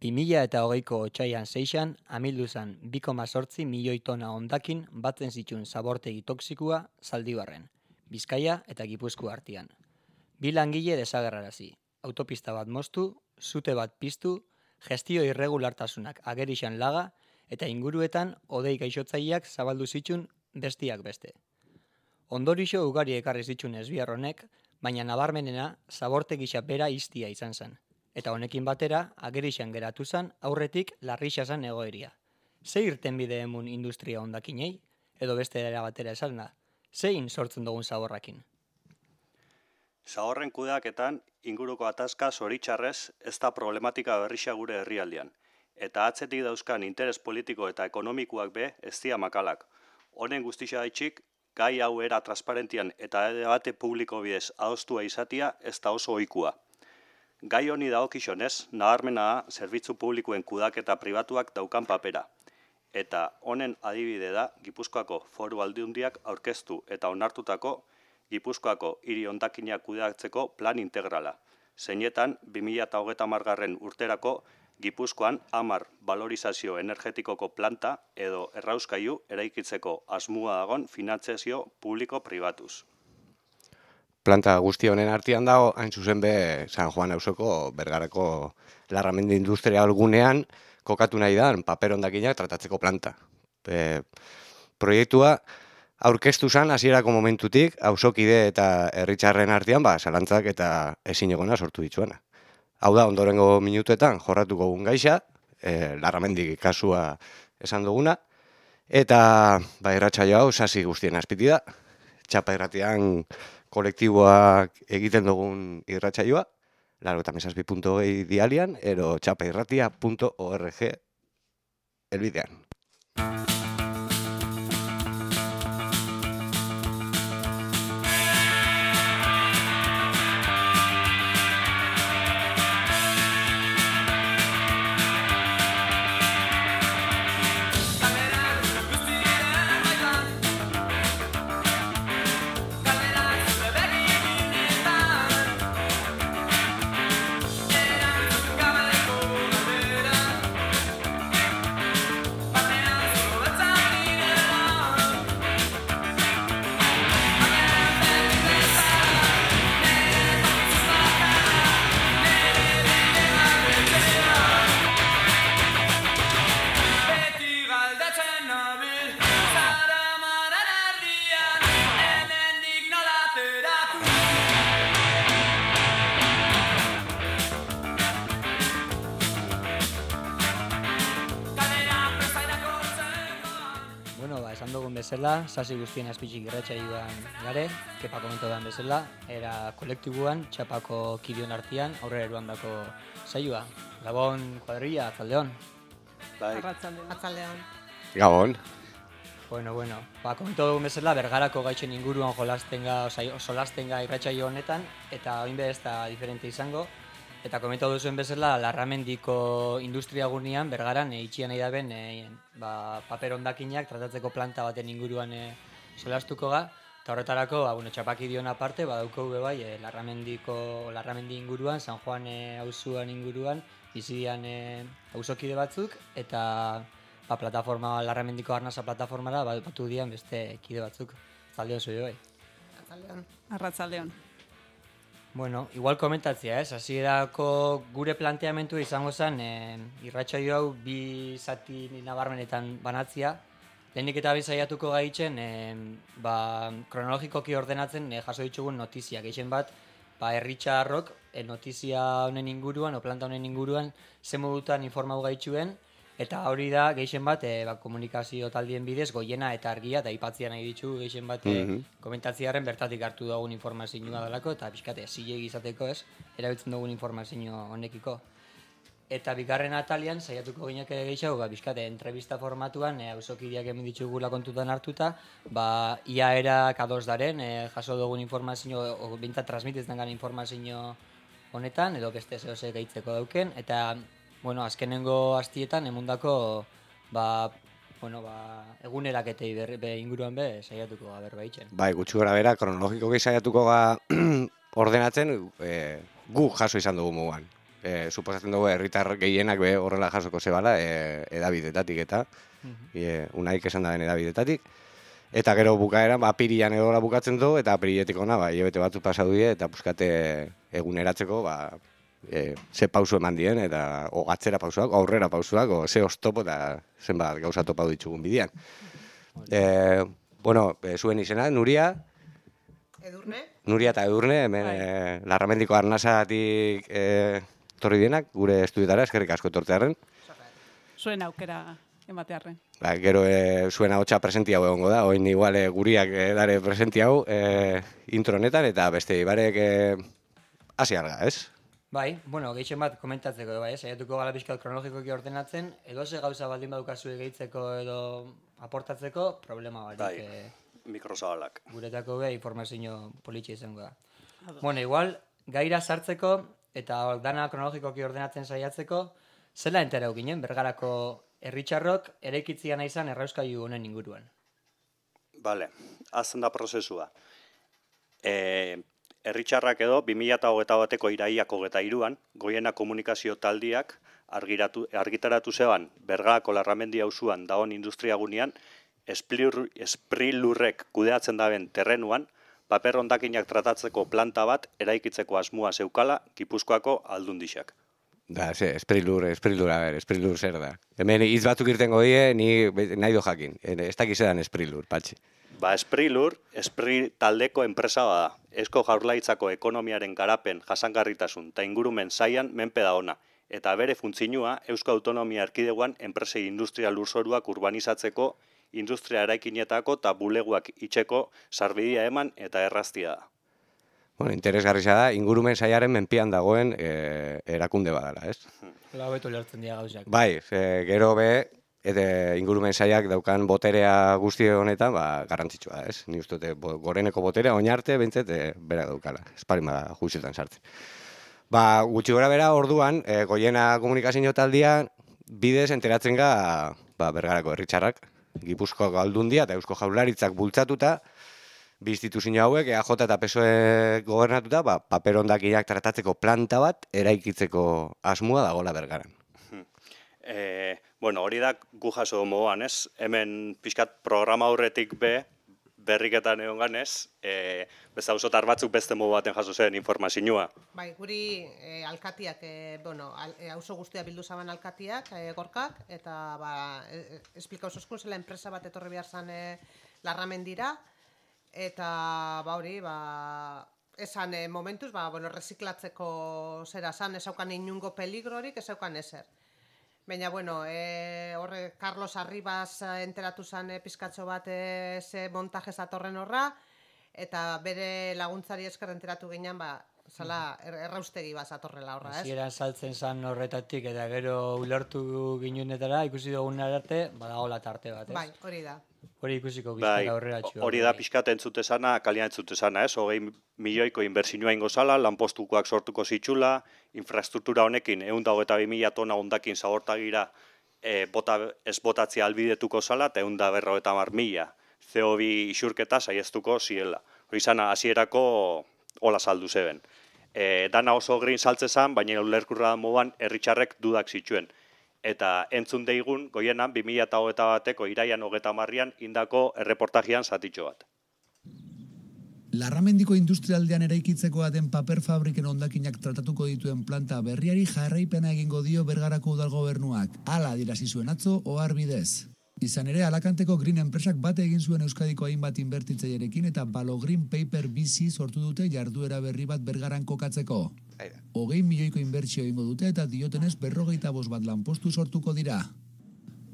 2020ko otsailean 6an amildu zen 2,8 milioi tona hondakin batzen zituen zabortegi toxikoa Zaldibarren, Bizkaia eta Gipuzkoa artean. 2 langile desagerrarazi, autopista bat moztu, sute bat piztu, gestio irregulartasunak agerixan laga eta inguruetan hodei gaixotzaileak zabaldu zituen bestiak beste. Ondorixo ugari ekarri zituen ezbihar honek, baina nabarmenena zabortegisa bera iztia izan zen. Eta honekin batera, agerixan geratu zen aurretik larrixa zen egoeria. Ze irtenbide emun industria hondakinei, edo beste era batera esalna, zein sortzen dugun zaborrakin? Zaborren kudeaketan inguruko ataska zoritxarrez ez da problematika berrixa gure herrialdean, eta atzetik dauzkan interes politiko eta ekonomikoak be ez dira makalak. Honen guztia daitxik, gai hau era transparentian eta debate publiko bidez adostua izatia ez da oso ohikua. Gai honi dagokionez, nabarmena da zerbitzu publikoen kudeaketa pribatuak daukan papera. Eta honen adibide da Gipuzkoako Foru Aldundiak aurkeztu eta onartutako Gipuzkoako hiri hondakinak kudeatzeko plan integrala. Zeinetan 2030 urterako Gipuzkoan 10 balorizazio energetikoko planta edo errauskailu eraikitzeko asmoa dagon finantzazio publiko-pribatuz. Planta guzti honen artean dago, hain zuzen be San Juan auzoko Bergarako Larramendi Industrial gunean kokatu nahi da paper hondakinak tratatzeko planta. Proiektua aurkeztu zen hasierako momentutik auzokide eta herritarren artean zalantzak eta ezinegona sortu dituena. Hau da, ondorengo minutuetan jorratuko gun gaixa, Larramendi kasua esan duguna, eta irratsaio hau sasi guztien azpiti da, Txapa irratian kolektiboak egiten dugun irratsaioa, 97.2 dialian, ero txapairratia.org elbidean. Bezala, sasi guztien azpitzik irratsaioan gare, Kepa komentodan bezala, era kolektiboan, Txapako kidion artean, aurrera eruandako saioa. Gabon, kuadrilla, atzaldeon. Atzaldeon. Gabon. Bueno, komentu dugun bezala, Bergarako gaitxen inguruan solastenga irratsaio honetan, eta oin ez da diferente izango. Eta komentatu duzuen bezala, Larramendiko industria gunean, Bergaran, itxian nahi daben, paper hondakinak tratatzeko planta baten inguruan solastuko ga. Eta horretarako, Txapaki dion aparte, badauko bai, Larramendi inguruan, San Juan auzuan inguruan, bizidian auzokide batzuk, eta plataforma, Larramendiko arnasa plataformara, batu dian beste kide batzuk. Atzaldeon zui bai. Arratzaldeon. Bueno, igual komentatzea, hasierako gure planteamentu izango zen irratsaio hau bi zati nabarmenetan banatzea. Lehenik eta saiatuko gaitzen kronologikoki ordenatzen jaso ditugun notiziak. Gehien bat, herritarrok notizia honen inguruan, o planta honen inguruan, ze modutan informau gaitzuen, eta hori da, gehien bat, komunikazio taldien bidez, Goiena eta Argia, eta ipatzia nahi ditu, gehien bat, komentatziaren bertatik hartu dugun informazioa dalako, eta pixkate, zilegi izateko erabiltzen dugun informazio honekiko. Eta bigarren atalian, saiatuko gineak gehiago, pixkate, entrevista formatuan, auzokideak hemen ditugula kontutan hartuta, ia erak ados daren, jaso dugun informazio, o bintzat transmititzen gana informazio honetan, edo beste zehose gaitzeko dauken, eta azkenengo hastietan emundako eguneraketei inguruan saiatuko ga berbaitzen. Gutxi gora bera, kronologikoki saiatuko ga ordenatzen gu jaso izan dugu mugan. suposatzen dugu herritar gehienak be horrela jasoko zebala edabidetatik eta unaik esan daben edabidetatik. Eta gero bukaeran, apirian edola bukatzen du, eta apiriletik ona, hilabete batzuk pasatu die, eta puskate eguneratzeko, ze pausu eman dien, eta atzera pausuak, aurrera pausuak, ze oztopo, eta zenbat gauza topatu ditugun bidean. Zuen izena, Nuria. Edurne. Nuria eta Edurne, hemen Larramendiko Arnasatik torri dienak, gure estudiotara, eskerrik asko tortearen. Zuen aukera ematearren. Gero zuen ahotsa presenti hau egongo da, oin igual guriak dare presenti hau intro honetan, eta beste ibarek hasi alga, ez? Bai, gehien bat komentatzeko, saiatuko gala pixkat kronologikoki ordenatzen, edo ze gauza baldin badukazu gehitzeko edo aportatzeko, problema barik. Bai, mikrozabalak. Guretako informazio politxe izango da. Igual, gaira sartzeko eta dana kronologikoki ordenatzen saiatzeko, zela enterau ginen, Bergarako herritxarrok eraikitzia nahi izan errauskailu honen inguruan. Bale, azten da prozesua. Herritxarrak edo 2021ko iraiak 23an, Goiena komunikazio taldiak argitaratu zeban Bergarako Larramendi auzuan dagoen industriagunean, Sprilurrek kudeatzen daben terrenuan, paper hondakinak tratatzeko planta bat eraikitzeko asmoa zeukala Gipuzkoako aldundixak. Sprilur zer da. Hemen hitz batzuk irtengo die, ni nahi do jakin. Ez dakiz edan Sprilur, patxi. Sprilur, taldeko enpresa bada. Eusko Jaurlaritzako ekonomiaren garapen, jasangarritasun eta ingurumen sailan menpe da ona. Eta bere funtzioa Eusko Autonomia Erkidegoan enpresei industria lurzoruak urbanizatzeko, industria eraikinetako eta buleguak itxeko sarbidea eman eta erraztia da. Interesgarria da, ingurumen saiaren menpian dagoen erakunde badala, ez? Hobeto lertzen dira gauzak. Bai, gero ingurumen saiak daukan boterea guzti honetan, garrantzitsua da, ez? Ni uste goreneko boterea, oinarte, bintzet, bera daukala, esparin bada juizietan sartzen. Gutxi gora bera, orduan, Goiena komunikazio taldia bidez enteratzen ga Bergarako herritxarrak, Gipuzkoako aldundia eta Eusko Jaurlaritzak bultzatuta, bi instituzio hauek, EAJ eta PSOE gobernatuta, paper hondakinak tratatzeko planta bat eraikitzeko asmoa dagoela Bergaran. Hori da gu jaso moduan, ez? Hemen pixkat programa aurretik berriketan egon ganez, beste auzotar batzuk beste modu baten jaso zen informazioa. Bai, guri alkatiak, auzo guztia bildu zaban alkatiak, gorkak, eta esplika oso zela enpresa bat etorri behar zan Larramendira, eta esan momentuz, reziklatzeko zera zan, ezaukan inungo peligrorik, ezaukan ezer. Baina, horre Carlos Arribas enteratu zen pizkatxo bat ze montajez atorren horra, eta bere laguntzari esker enteratu ginen, zala erraustegi bat atorrela horra, ez? Zieran saltzen zan horretatik, eta gero ulertu ginunetara, ikusi dugun arte, badagoela tarte bat, ez? Bai, hori da. Hori ikusiko bizkara aurrera txua. Hori da pixkat entzute zana, kalian entzute zana, ez? 20 milioiko inbertsioa ingo zala, lanpostukoak sortuko zitxula, infrastruktura honekin 122.000 tona hondakin zabortagira ez botatzea albidetuko zala, eta 150.000 CO2 isurketa saiestuko ziela. Hori zana, hasierako hola saldu zeben. Dana oso green saltze zan, baina ulerkurra da moduan herritxarrek dudak zituen. Eta entzun deigun, Goienan 2021ko iraian 30an indako erreportajian zatitxo bat. Larramendiko industrialdean eraikitzeko den paper fabriken hondakinak tratatuko dituen planta berriari jarraipena egingo dio Bergarako udalgobernuak. Hala adierazi zuen atzo ohar bidez. Izan ere, Alakanteko Green enpresak bate egin zuen Euskadiko hainbat inbertitzailerekin eta Balogreen Paper BC sortu dute jarduera berri bat Bergaran kokatzeko. 20 milioiko inbertsio egingo dute eta diotenez 45 bat lanpostu sortuko dira.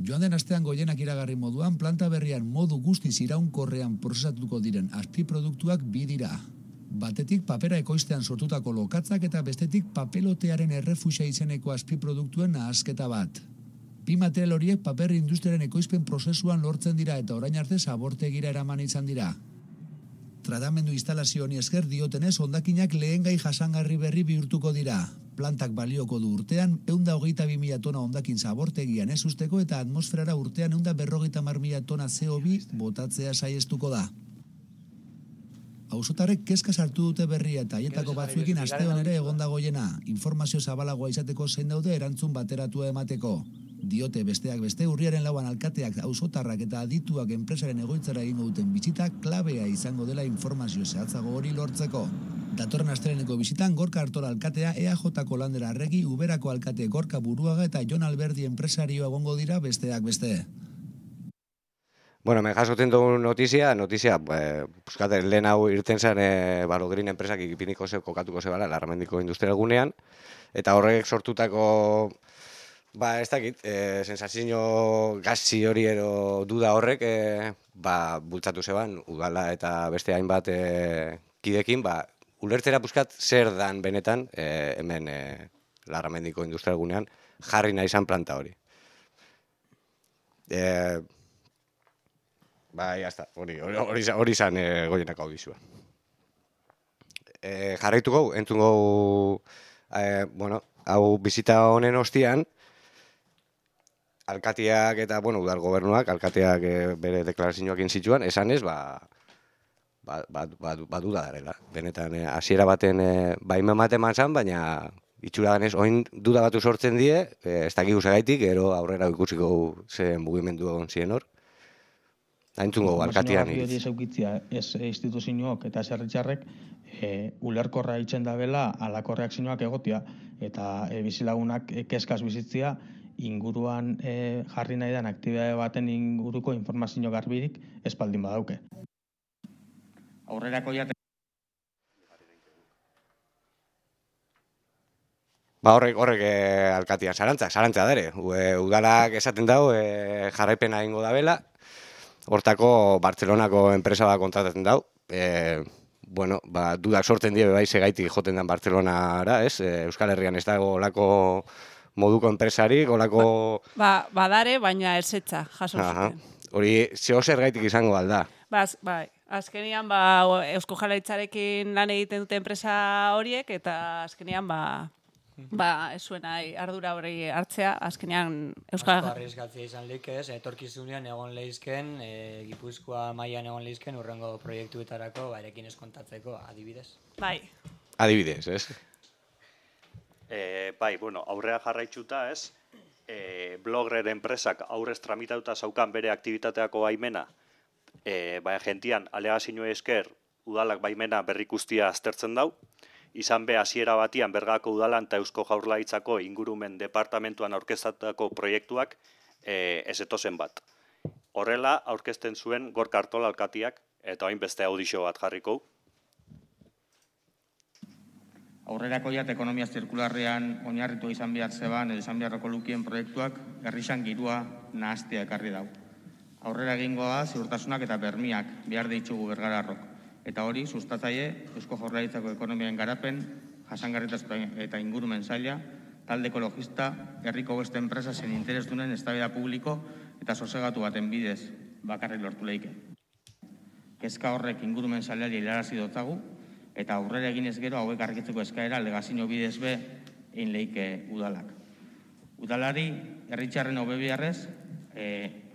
Joan den astean Goienak iragarri moduan, planta berrian modu guztiz iraunkorrean prozesatuko diren azpiproduktuak bi dira. Batetik papera ekoiztean sortutako lokatzak eta bestetik papelotearen errefusia izeneko azpiproduktuen nahasketa bat. Bi material horiek paper industriaren ekoizpen prozesuan lortzen dira eta orain arte zabortegira eraman izan dira. Tratamendu instalazio honi esker diotenez hondakinak lehengai jasangarri berri bihurtuko dira. Plantak balioko du urtean 122.000 tona hondakin zabortegian ez usteko eta atmosferara urtean 150.000 tona CO2 botatzea saiestuko da. Auzotarrek kezka sartu dute berria eta haietako batzuekin aste ere egonda goiena, informazio zabalagoa izateko zein daude erantzun bateratua emateko. Diote besteak beste urriaren 4 alkateak, auzotarrak eta adituak enpresaren egoitzara egingo duten bisita klabea izango dela informazio zehatzago hori lortzeko. Datorren asteleheneko bisitan Gorka Artola alkatea, EAJ-ko Landera Arregi, Uberako alkate Gorka Buruaga eta Jon Alberdi enpresarioa egongo dira besteak beste. Bueno, me jasoten dugu notizia, puskate, lehen hau irten zen Balogrin enpresak ikipiniko kokatuko zebala, Larramendiko industrial gunean, eta horrek sortutako, ez dakit, sensazio gazi hori ero duda horrek, bultzatu zeban, udala eta beste hainbat kidekin, ulertzera puskat zer dan benetan, hemen Larramendiko industrial gunean, jarri nahi izan planta hori. Jazta, hori izan goienak hau dizua. Jarraituko, entzungo, hau bizita honen ostian, alkatiak eta, udal gobernuak, alkatiak bere deklarazioak inzituan, esanez, duda darela. Benetan, hasiera baten baimen bat eman zan, baina itxura ganez, oin duda batu sortzen die, ez dakik usagaitik, gero aurrera ikusiko zen mugimendu egon ziren hor. Aintzungo, alkatian iriz. Hori eukitzia, ez instituzioak eta zerritxarrek ulerkorra itzen dabela alakorreak zinuak egotia eta bizilagunak kezkaz bizitzia inguruan jarri nahi den aktibitate baten inguruko informazio garbirik espaldin badauke. Aurrerako jate. Horrek alkatian zarantza dere. Udalak esaten dau jarraipena egingo dabela. Hortako Bartzelonako enpresa bat kontratatzen dau. Dudak sortzen die bai segaitik joten den Bartzelonara, ez? Euskal Herrian ez dago olako moduko enpresarik, olako... Badare, baina ezetza, jaso zuten. Hori, zer gaitik izango alda. Bai, azkenian Eusko Jaurlaritzarekin lan egiten dute enpresa horiek, eta azkenian ez zuen ardura hori hartzea, azkenean Euskal... Asko arriskatzea izan likez, etorkizunean egon lehizken, Gipuzkoa mailan egon lehizken urrengo proiektuetarako erekin ez kontatzeko, adibidez. Bai. Adibidez, ez? Aurrea jarraitzuta ez, Blogger enpresak aurrez tramitatuta zaukan bere aktibitateako baimena, gentian alegazio esker udalak baimena berrikustia aztertzen dau, izan be hasiera batian Bergako udalan eta Eusko Jaurlaritzako ingurumen departamentuan aurkeztatutako proiektuak ez etozen bat. Horrela aurkezten zuen Gorka Artola alkatiak eta orain beste audizio bat jarriko. Aurrerako ekonomia zirkularrean oinarritu izan behar zeban edo izan beharreko lukien proiektuak herrisan girua nahastea ekarri dau. Aurrera egingoa ziurtasunak eta bermiak behar ditugu Bergararrok. Eta hori, sustatzaile, Eusko Jaurlaritzako ekonomiaren garapen, jasangarritasun eta ingurumen saila, talde ekologista, herriko beste enpresa zen interesdunen eztabaida publiko eta sosegatu baten bidez bakarrik lortu leike. Kezka horrek ingurumen sailari hilarazi dotzagu, eta aurrera eginez gero hauek argitzeko eskaera legazio bidez be egin leike udalak. Udalari, herritxarren hobe biharrez,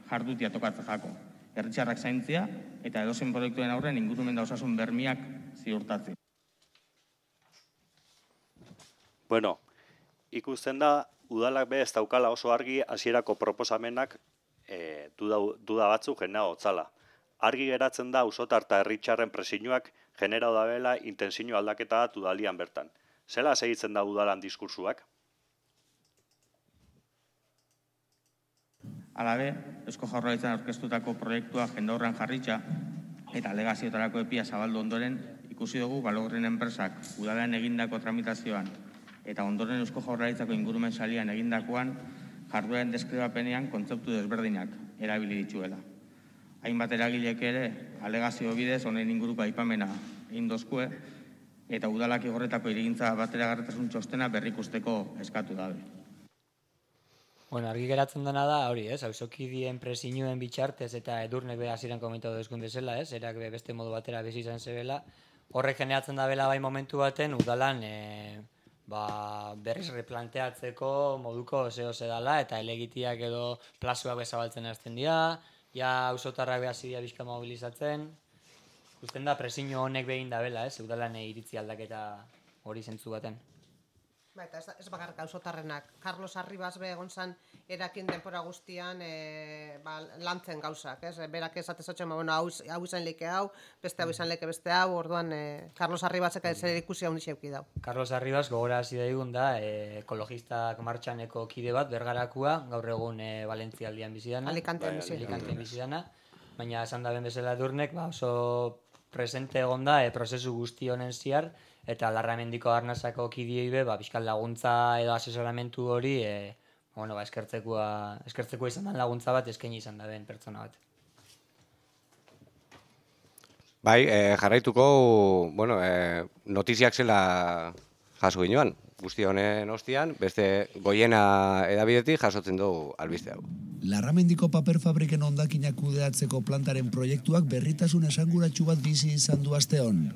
jardutia tokatzen jako. Herritxarrak zaintzia eta edozen proiektuen aurren ingurumen da osasun bermiak ziurtatzen. Ikusten da, udalak be ez daukala oso argi hasierako proposamenak duda batzuk genera hotzala. Argi geratzen da auzotar eta herritxarren presioak generau dabela intensio aldaketa bat udalian bertan. Zela segitzen da udalan diskursuak? Alabe, Eusko Jaurlaritzan aurkeztutako proiektua jendaurrean jarritxa eta alegazioetarako epia zabaldu ondoren ikusi dugu Balogrin enpresak udalean egindako tramitazioan eta ondoren Eusko Jaurlaritzako ingurumen salian egindakoan jardueren deskribapenean kontzeptu desberdinak erabili dituela. Hainbat eragilek ere alegazio bidez honen inguruko aipamena egin dozkue eta udalak igorretako irigintza bateragarritasun txostena berrikusteko eskatu dabe. Argi geratzen dena da, hori, ez, auzokideen presioen bitxartez eta Edurnek be hasieran komentatu duzkun bezala, ez, erak beste modu batera bizi izan zebela, horrek generatzen da bela bai momentu baten udalan berriz replanteatzeko moduko zeo dela eta elegitiak edo plazuak bezabaltzen hasten dira, ja auzotarrak be hasi dira bizka mobilizatzen, Ikusten da presio honek behin da bela, udalan iritzi aldaketa hori zentzu baten. Ba, eta ez bakarrik auzotarrenak. Carlos Arribas be egon zan erakin denpora guztian lantzen gauzak, ez? Berak esatezatzen, bueno, hau izan leke hau, beste hau izan leke beste hau, orduan Carlos Arribasek zer ikusi hau nixeuki dau. Carlos Arribas gogorarazi daigun da, ekologistak martxaneko kide bat, Bergarakua, gaur egun Valentzialdian bizidana. Alicantean bizidana. Baina esan da ben bezala Edurnek, oso presente egon da prozesu guzti honen ziar, eta Larramendiko Arnasako kidiei be, bizkal laguntza edo asesoramentu hori, eskertzekoa izan den laguntza bat eskaini izan da ben pertsona bat. Bai, jarraituko, notiziak zela jaso ginoan, guzti honen ostian, beste Goiena edabidetik jasotzen dugu albiste hau. Larramendiko paper fabriken hondakinak kudeatzeko plantaren proiektuak berritasun esanguratsu bat bizi izan du asteon.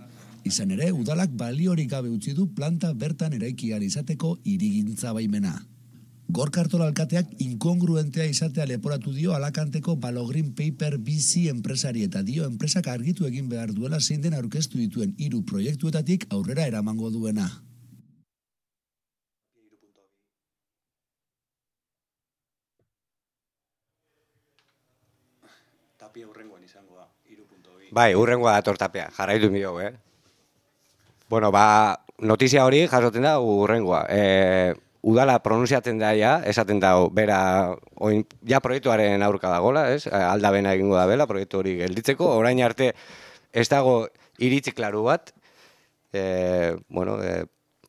Izan ere, udalak baliorik gabe utzi du planta bertan eraikian izateko hirigintza baimena. Gorka Artola alkateak inkongruentea izatea leporatu dio Alakanteko Balogreen Paper bizi enpresari eta dio enpresak argitu egin behar duela zein den aurkeztu dituen 3 proiektuetatik aurrera eramango duena. Tapia urrengoan izango da, 3.2. Bai, urrengoa dator Tapia, jarraitu mi dugu, notizia hori jasotzen da urrengoa. Udala pronunziatzen da esaten da, bera, proiektuaren aurka dagoela, aldabena egingo da bela, proiektu hori gelditzeko, orain arte ez dago iritzi klaru bat,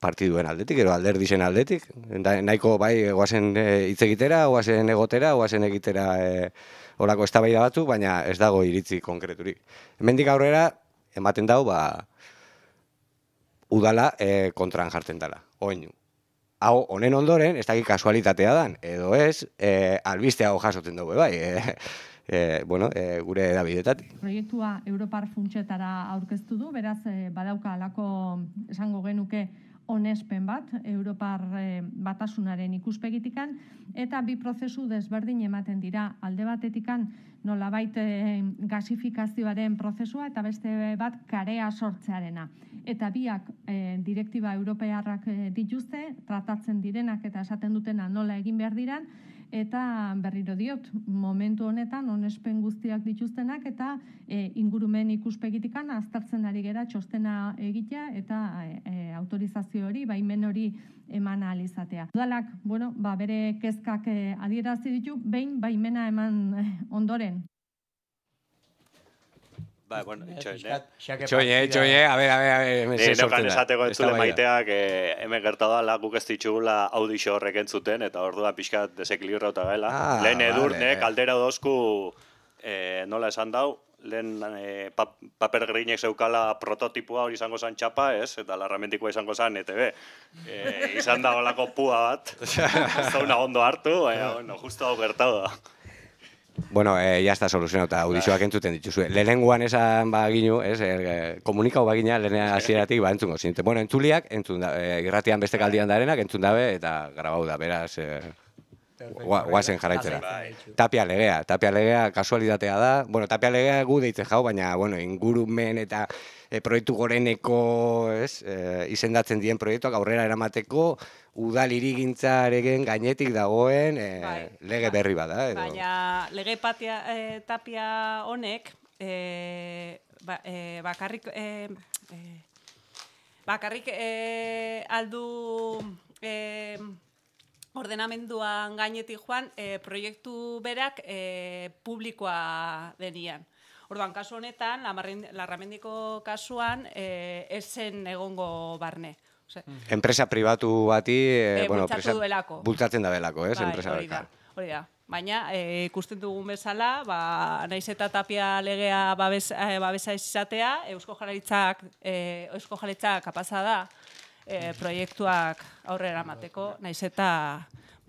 partiduen aldetik, ero alderdisen aldetik, nahiko bai, guazen hitz egitera, guazen egotera, guazen egitera horako eztabaida batzuk, baina ez dago iritzi konkreturik. Hemendik aurrera, ematen dau, udala kontran jartzen dela, oinu. Hau, honen ondoren, ez dakit kasualitatea dan, edo ez, albiste hau jasotzen dugu, bai, gure edabidetatik. Proiektua Europar funtsetara aurkeztu du, beraz, badauka alako esango genuke onespen bat, Europar batasunaren ikuspegitikan, eta bi prozesu desberdin ematen dira. Alde batetikan nolabait gasifikazioaren prozesua eta beste bat karea sortzearena. Eta biak direktiba europearrak dituzte, tratatzen direnak eta esaten dutena nola egin behar diran, eta berriro diot, momentu honetan onespen guztiak dituztenak eta ingurumen ikuspegitikan aztertzen ari gera txostena egitea eta autorizazio hori, baimen hori eman ahal izatea. Udalak, bere kezkak adierazi ditu, behin baimena eman ondoren. Itxoine, a ver, neukan esateko entzule maiteak hemen gertadala guk ez ditugula audixo horrek entzuten, eta orduan pixkat desekilibrauta gaela. Lehen Edurnek aldera dozku, nola esan dau, lehen paper grinek zeukala prototipoa hori izango zan txapa, eta Larramendikoa izango zan ETB. Izan da holako pua bat, ez da ondo hartu, justo hau gertau da. Ya está soluzionauta, audizioak entzuten dituzue. Lehenengoan esan baginu, komunikau bagina lehenean hasieratik entzungo zinten. Entzuliak, irratian beste kaldian darenak, entzun dabe eta grabau da, beraz, guazen jarraitzera. Tapia legea kasualitatea da. Tapia legea gu deitzen jau, baina ingurumen eta proiektu goreneko izendatzen dien proiektuak aurrera eramateko udal hirigintzaren gainetik dagoen lege berri bada. Baina lege tapia honek bakarrik aldu ordenamenduan gainetik joan proiektu berak publikoa denian. Orduan, kasu honetan, Larramendiko kasuan, esen egongo barne. Enpresa pribatu bati bultzatzen da belako, hori da. Baina, ikusten dugun bezala, naiz eta Tapia legea babesa izatea, Eusko Jaurlaritzak kapaza da proiektuak aurrera emateko, naiz eta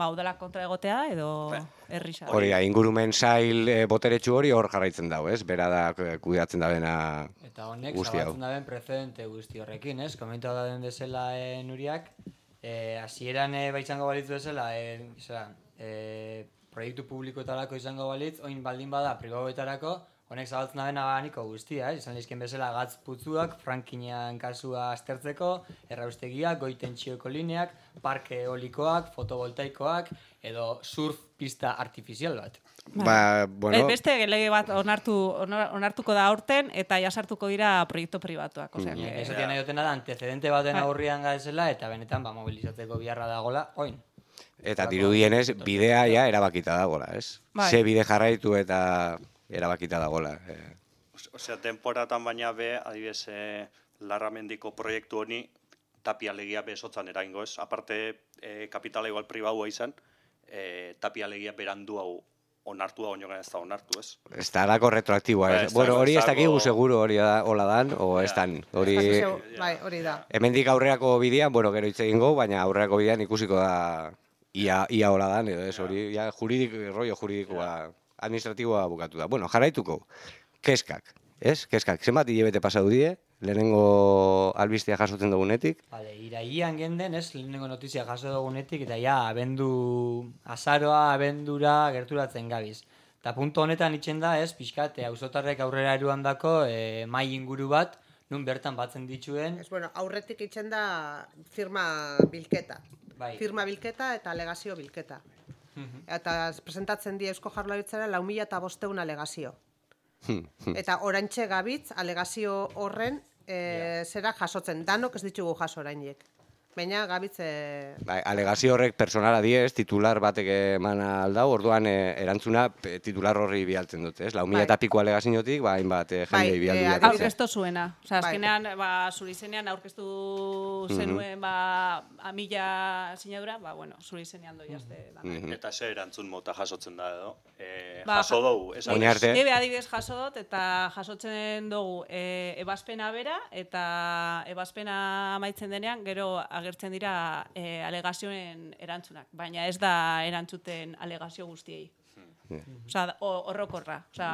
udalak kontra egotea edo herrisa. Hori da, ingurumen sail boteretsu hori hor jarraitzen dau, bera da kudeatzen da bena guzti hau. Eta honek zabatzen da ben precedente guzti horrekin, komentua da den bezala Nuriak, hasieran baitzango balitz bezala, proiektu publikoetarako izango balitz, oin baldin bada pribauetarako, Honek zabaltzen da bena niko guztia, izan lehizken bezala gatz putzuak, frankinean kasua aztertzeko, erraustegiak, goi tentsioko lineak, parke eolikoak, fotovoltaikoak, edo surf pista artifizial bat. Bueno, Beste lege bat onartuko da aurten eta jasartuko dira proiektu pribatuak. Esatia nahi dutena da, antecedente baten aurrian gaizela, eta benetan mobilizatzeko biharra dagola, oin. Eta dirudienez, bidea ja erabakita dagola, ez? Ze bide jarraitu eta erabakita dagola. Osea, temporatan baina be, adibidez, Larramendiko proiektu honi Tapia legia besotzan eragingo, ez? Aparte, kapitala igual pribaua izan, Tapia legia berandu hau onartu da, oinogan ez da onartu, ez? Ez da alako retroaktiboa, ez? Bueno, hori ez dakigu seguro hori hola dan, o ez dan. Hori da. Hemendik aurreako bidean, bueno, gero hitz egingo, baina aurreako bidean ikusiko da ia hola dan, edo ez, hori, ja, rollo juridikoa, administratiboa bukatu da. Bueno, jarraituko, keskak, ez? Keskak, zenbat hilabete pasatu die, lehenengo albistea jasotzen dugunetik? Irailean genden, ez, lehenengo notizia jaso dugunetik, eta ja, azaroa, abendura gerturatzen gabiz. Eta punto honetan itxen da, ez, pixkat, auzotarrek aurrera eruan dako mai inguru bat, nun bertan batzen dituen. Aurretik itxen da firma bilketa. Firma bilketa eta alegazio bilketa. Eta presentatzen die Eusko Jaurlaritzara 4.500 alegazio. Eta oraintxe gabitz alegazio horren zera jasotzen. Danok ez ditugu jaso orainek. Baina gabitz... Alegazio horrek personala diez, titular batek eman aldau, orduan erantzuna titular horri bialtzen dute, ez? 4.000 piko alegaziotik, hainbat jendei bialdu. Aurkeztu zuena. Osa, azkenean, zuri zenean aurkeztu zenuen 1.000 sinadura, zuri zenean doi azte. Eta ze erantzun mota jasotzen da edo? Jaso dugu, esan? Adibidez jaso dut, eta jasotzen dugu ebazpena bera, eta ebazpena amaitzen denean, gero agertzen dira alegazioen erantzunak, baina ez da erantzuten alegazio guztiei. Osa, horrokorra. Osa,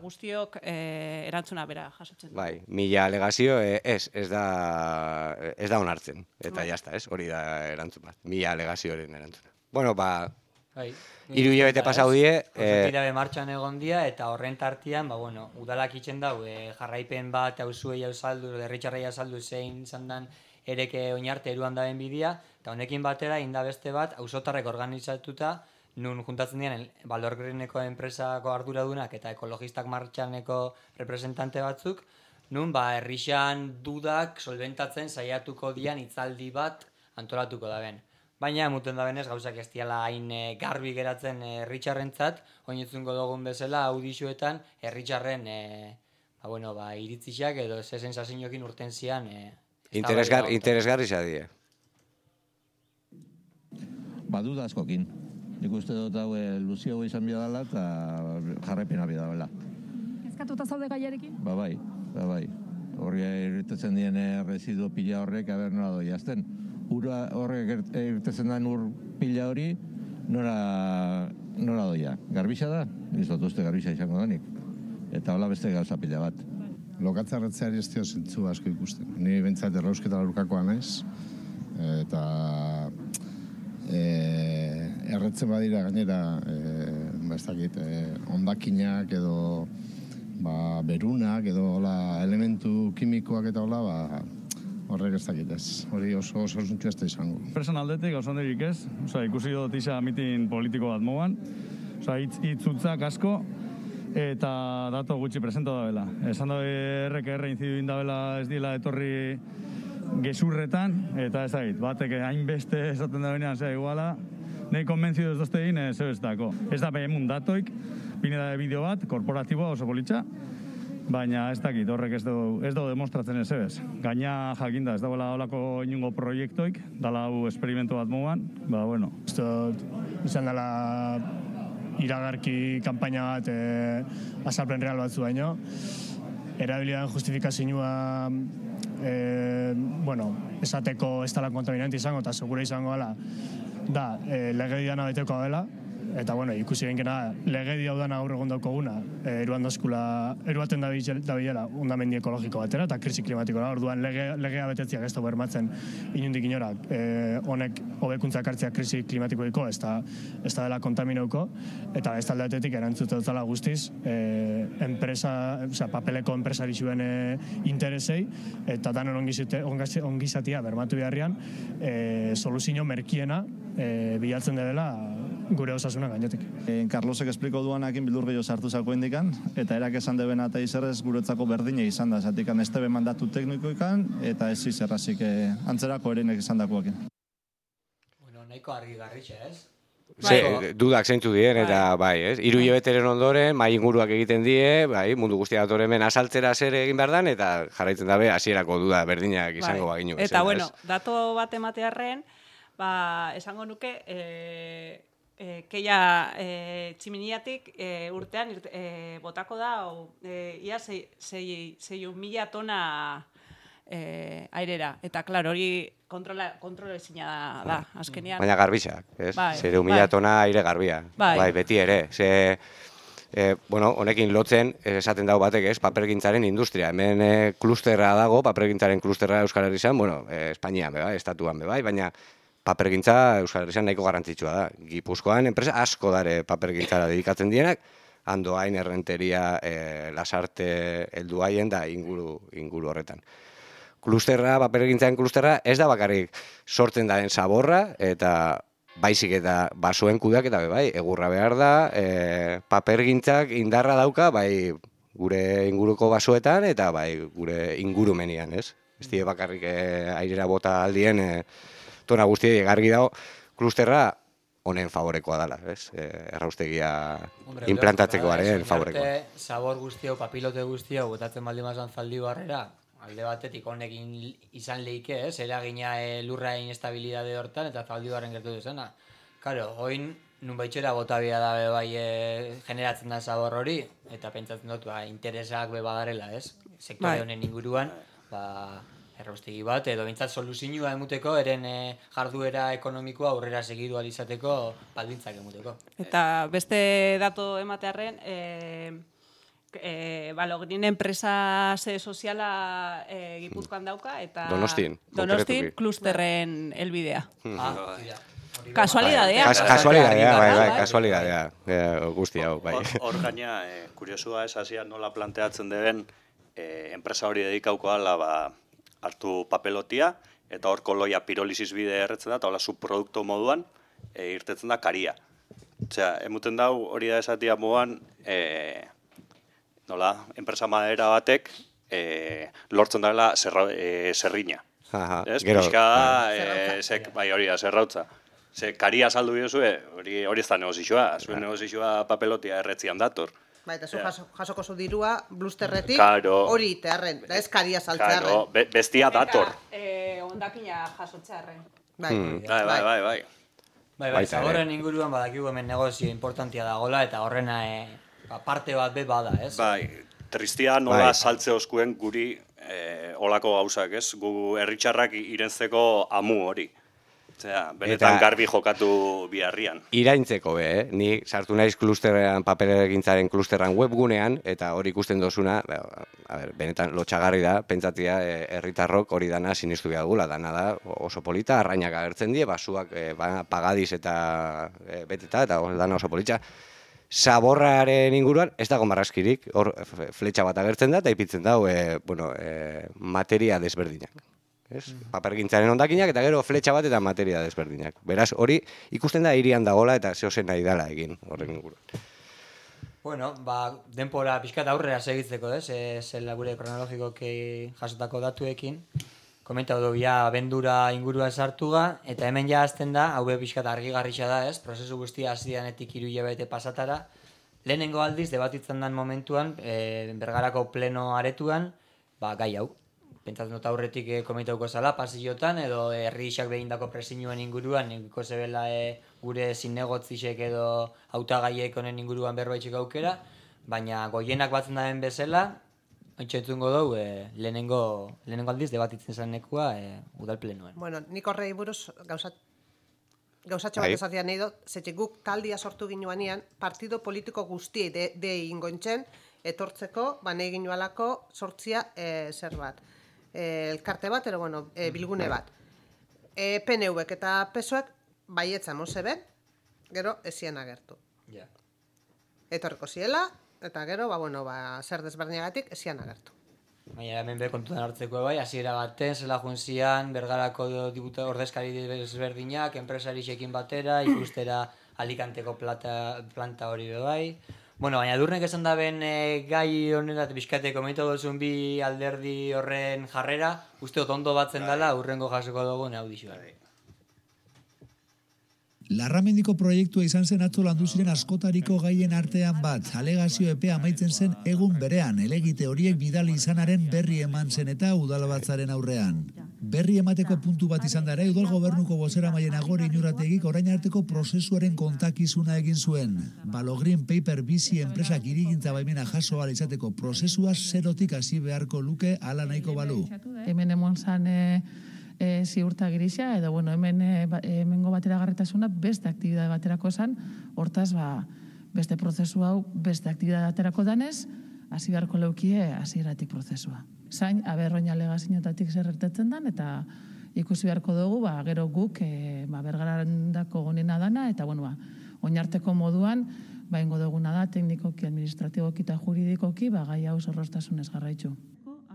guztiok erantzuna bera jasotzen. 1.000 alegazio ez da onartzen. Eta jazta, ez? Hori da erantzun bat. 1.000 alegazioaren erantzuna. Bueno, 3 hilabete pasau die. Konzertirabe martxan egon dia, eta horren tartian, udalak itxen dau, jarraipen bat, auzuei ausaldu, herritarrei ausaldu zein zandan, ereke oinarte eruan daben bidea, eta honekin batera, inda beste bat, auzotarrek organizatuta, nun juntatzen diren Balorgreneko enpresako arduradunak eta ekologistak martxaneko representante batzuk, nun herrixan dudak solventatzen saiatuko dian hitzaldi bat antolatuko daben. Baina, muten dabenez, gauzak ez diala hain garbi geratzen herritxarrentzat, oinetzungo dugun bezala, audixuetan, herritxarren iritzixak edo ze sensazioekin urten zian interesgarri zadie. Baduda askokin. Nik uste dut hau luzio izan bidala eta jarraipena bidala. Kezkatuta zaude gaiarekin? Bai. Horri irtetzen dien residu pila horrek, nola doi azten. Ura horrek irtetzen den ur pila hori, nola doia. Garbixa da? Izot uste garbixa izango denik. Eta hola beste gauza pila bat. Lokatzarretzeari ez dio zentzu asko ikusten. Ni bentsat errausketa lurkakoa naiz, eta erretzen badira gainera, ondakinak edo berunak edo elementu kimikoak eta horrek ez dakit ez. Hori oso zuntxu ez da izango. Personaldetik oso handirik ez, ikusi dut isa mitin politiko bat moan, hitzutzak asko, eta dato gutxi presento da bela. Esan da RKR incidu indabela ez dila etorri gezurretan, eta ez dakit, batek hainbeste esaten da benean, iguala, nahi konbentzidu ez dozte egin, ez dako. Ez da behemun datoik, bine da bideo bat, korporatiboa oso politxa, baina ez dakit, horrek ez du demostratzen ez ebez. Gaina jakinda, ez dagoela olako inungo proiektoik, dala hau esperimentu bat moan, izan dela iragarki kanpaina bat azalpen real batzu baino. Erabilian justifikazioa esateko ez dela kontaminante izango eta segura izango dela da legediana beteko dela Eta, bueno, ikusi genkena, legedi hau dana gaur egon daukaguna, eruaten dabilela ondamendi ekologiko batera, eta krisi klimatikora, orduan legea betetziak ez da bermatzen inundik inora, honek hobekuntza hartzea krisi klimatikoiko, ez da dela kontaminauko, eta ez taldeatetik erantzutetala guztiz, papeleko enpresari zuen interesei, eta danon ongizatia bermatu beharrian, soluzio merkiena bilatzen dela gure osasuna gainetik. Carlosek espliko duanakin bildur gehiago sartu zako indikan, eta erak esan debena eta izerrez guretzako berdine izan da, zatikan ez tebe mandatu teknikoikan, eta ez izerrazik antzerako erenek izan dakoakin. Bueno, nahiko argi garritxe, ez? Dudak zeintzu dien, eta bai, ez? 3 hilabeteren ondoren, mai inguruak egiten die, bai, mundu guztia dator hemen asaltzera zer egin behar dan, eta jarraitzen dabe hasierako duda berdinak izango baginu. Eta, bueno, dato bat ematearren, esango nuke, keia tximiniatik urtean botako da, ia 6.000 tona airera. Eta, klar, hori kontrola ezina da, azkenean. Baina garbixak, ez? 6.000 tona aire garbia. Bai, beti ere. Bueno, honekin lotzen, esaten dago batek, ez? Papergintzaren industria. Hemen klusterra dago, papergintzaren klusterra Euskal Herrian, bueno, Espainian, bai, estatuan, bai, baina papergintza Euskal Herrian nahiko garrantzitsua da. Gipuzkoan enpresa asko dare papergintzara dedikatzen dienak, Andoain, Errenteria, Lasarte, Helduaien da inguru horretan. Klusterra, papergintzaren klusterra, ez da bakarrik sortzen daren zaborra, eta baizik eta basoen kudak eta bai, egurra behar da, papergintzak indarra dauka, bai, gure inguruko basoetan, eta bai, gure ingurumenian, ez? Ez die bakarrik airera bota aldien, tona guztiei gargi dago, klusterra honen favorekoa dela, ez? Erraustegia implantatzekoaren favorekoa. Zabor guztiau, papilote guztiau, botatzen baldin mazan zaldi barrera, alde batetik honekin izan lehike, ez? Eragina lurra inestabilidade hortan, eta zaldi barren gertu duzena. Karo, oin nun baitxera bota bia da bai generatzen da zabor hori, eta pentsatzen dut, interesak be badarela, ez? Sektore honen inguruan, erraustegi bat, edo bintzat soluzioa emuteko, eren jarduera ekonomikoa aurrera segidu alizateko baldintzak emuteko. Eta beste dato ematearren, Logrin enpresa soziala Gipuzkoan dauka, eta Donostin klusterren helbidea. Kasualidadea. Kasualidadea, guzti hau, bai. Hor gaina, kuriosua ez hasia nola planteatzen deben, enpresa hori dedikauko ala, hartu papelotia, eta hor koloia pirolisis bide erretzen da, eta hola subprodukto moduan irtetzen da karia. Osea, emuten dau hori da esatia moduan, nola, enpresa madera batek lortzen dela zerrina. Pixka da, bai hori da, zerrautza. Karia saldu biozu, hori ez da negozioa, zuen negozioa papelotia erretzian dator. Eta zu jasoko zu dirua, blusterretik, hori itearren, da ez karia saltzearren. Bestia dator. Ondakina jasotzearren. Bai. Bai, zaborren inguruan badakigu hemen negozio importantia dagoela, eta horrena parte bat be bada, ez? Bai, tristia nola saltze oskuen guri olako gauzak, ez? Gu herritxarrak irentzeko amu hori. Benetan garbi jokatu biharrian. Iraintzeko ni sartu naiz klusterrean, paperegintzaren klusterran webgunean, eta hori ikusten dozuna, benetan lotxagarri da, pentsatia herritarrok hori dana sinistu behar dugula, dana da oso polita, arrainak agertzen die, basuak pagadiz eta beteta, eta dana oso politxa. Zaborraren inguruan ez dago marraskirik, hor fletxa bat agertzen da, eta ipitzen da, materia desberdinak. Papergintzaren hondakinak eta gero fletxa bat eta materia desberdinak. Beraz, hori ikusten da hirian dagola eta zehozen nahi dela egin horren inguruan. Bueno, denpora pixkat aurrera segitzeko, zela gure kronologikoki jasotako datuekin. Komentau du, abendura ingurua sartuga, eta hemen ja azten da, hau pixkat argigarritxa da, prozesu guztia hasidanetik 3 hilabete pasatara. Lehenengo aldiz, debatitzen den momentuan, Bergarako pleno aretuan, gai hau. Pentsatzen dut aurretik komentauko zala, pasillotan, edo herriak behindako presinuen inguruan, ikiko zebela gure zinegotzisek edo hautagaiek honen inguruan berbaitxek aukera, baina goienak batzen daren bezala, ontsentzungo dugu, lehenengo aldiz debatitzen zen nekua udal plenoen. Bueno, nik horrei buruz gauzat gauzatxo bat esatia nahi dut, zetxe guk taldia sortu ginuanean, partido politiko guztiei de ingointzen, etortzeko, nahi ginualako sortzia zer bat. Elkarte bat, bilgune bat. PNV-ek eta PSOek baietza mozeben, gero ezien agertu. Etorriko ziela, eta gero, zer desberdinagatik ezien agertu. Baina hemen be kontutan hartzeko bai, hasiera baten, zela junzian, Bergarako ordezkari desberdinak, enpresarixekin batera, ikustera Alicanteko planta hori be bai. Bueno, baina Edurnek esan da ben gai honetat bizkate komentu duzun bi alderdi horren jarrera, uste ondo batzen dela, urrengo jasoko dugun audizioa. Larramendiko proiektua izan zen atzo landu ziren askotariko gaien artean bat. Alegazio epea amaitzen zen egun berean, elegite horiek bidali izanaren berri eman zen eta udalbatzaren aurrean. Berri emateko puntu bat izan dara, udal gobernuko bozeramaile Nagore Inurrategik orain arteko prozesuaren kontakizuna egin zuen. Balogreen Paper bizi enpresak hirigintza baimena jaso ahal izateko prozesua zerotik hasi beharko luke hala nahiko balu. Hemen emon zan ziurta grisa, edo hemengo bateragarritasuna beste aktibidade baterako zan, hortaz beste prozesu hau beste aktibidade baterako danez, hasi beharko leukie hasieratik prozesua. Zain, oin alegazioetatik zer gertatzen dan, eta ikusi beharko dugu, gero guk bergarandako gonena dana, eta oinarteko moduan, ingo duguna da, teknikoki, administratiboki eta juridikoki, gai hau zorroztasunez jarraitzu.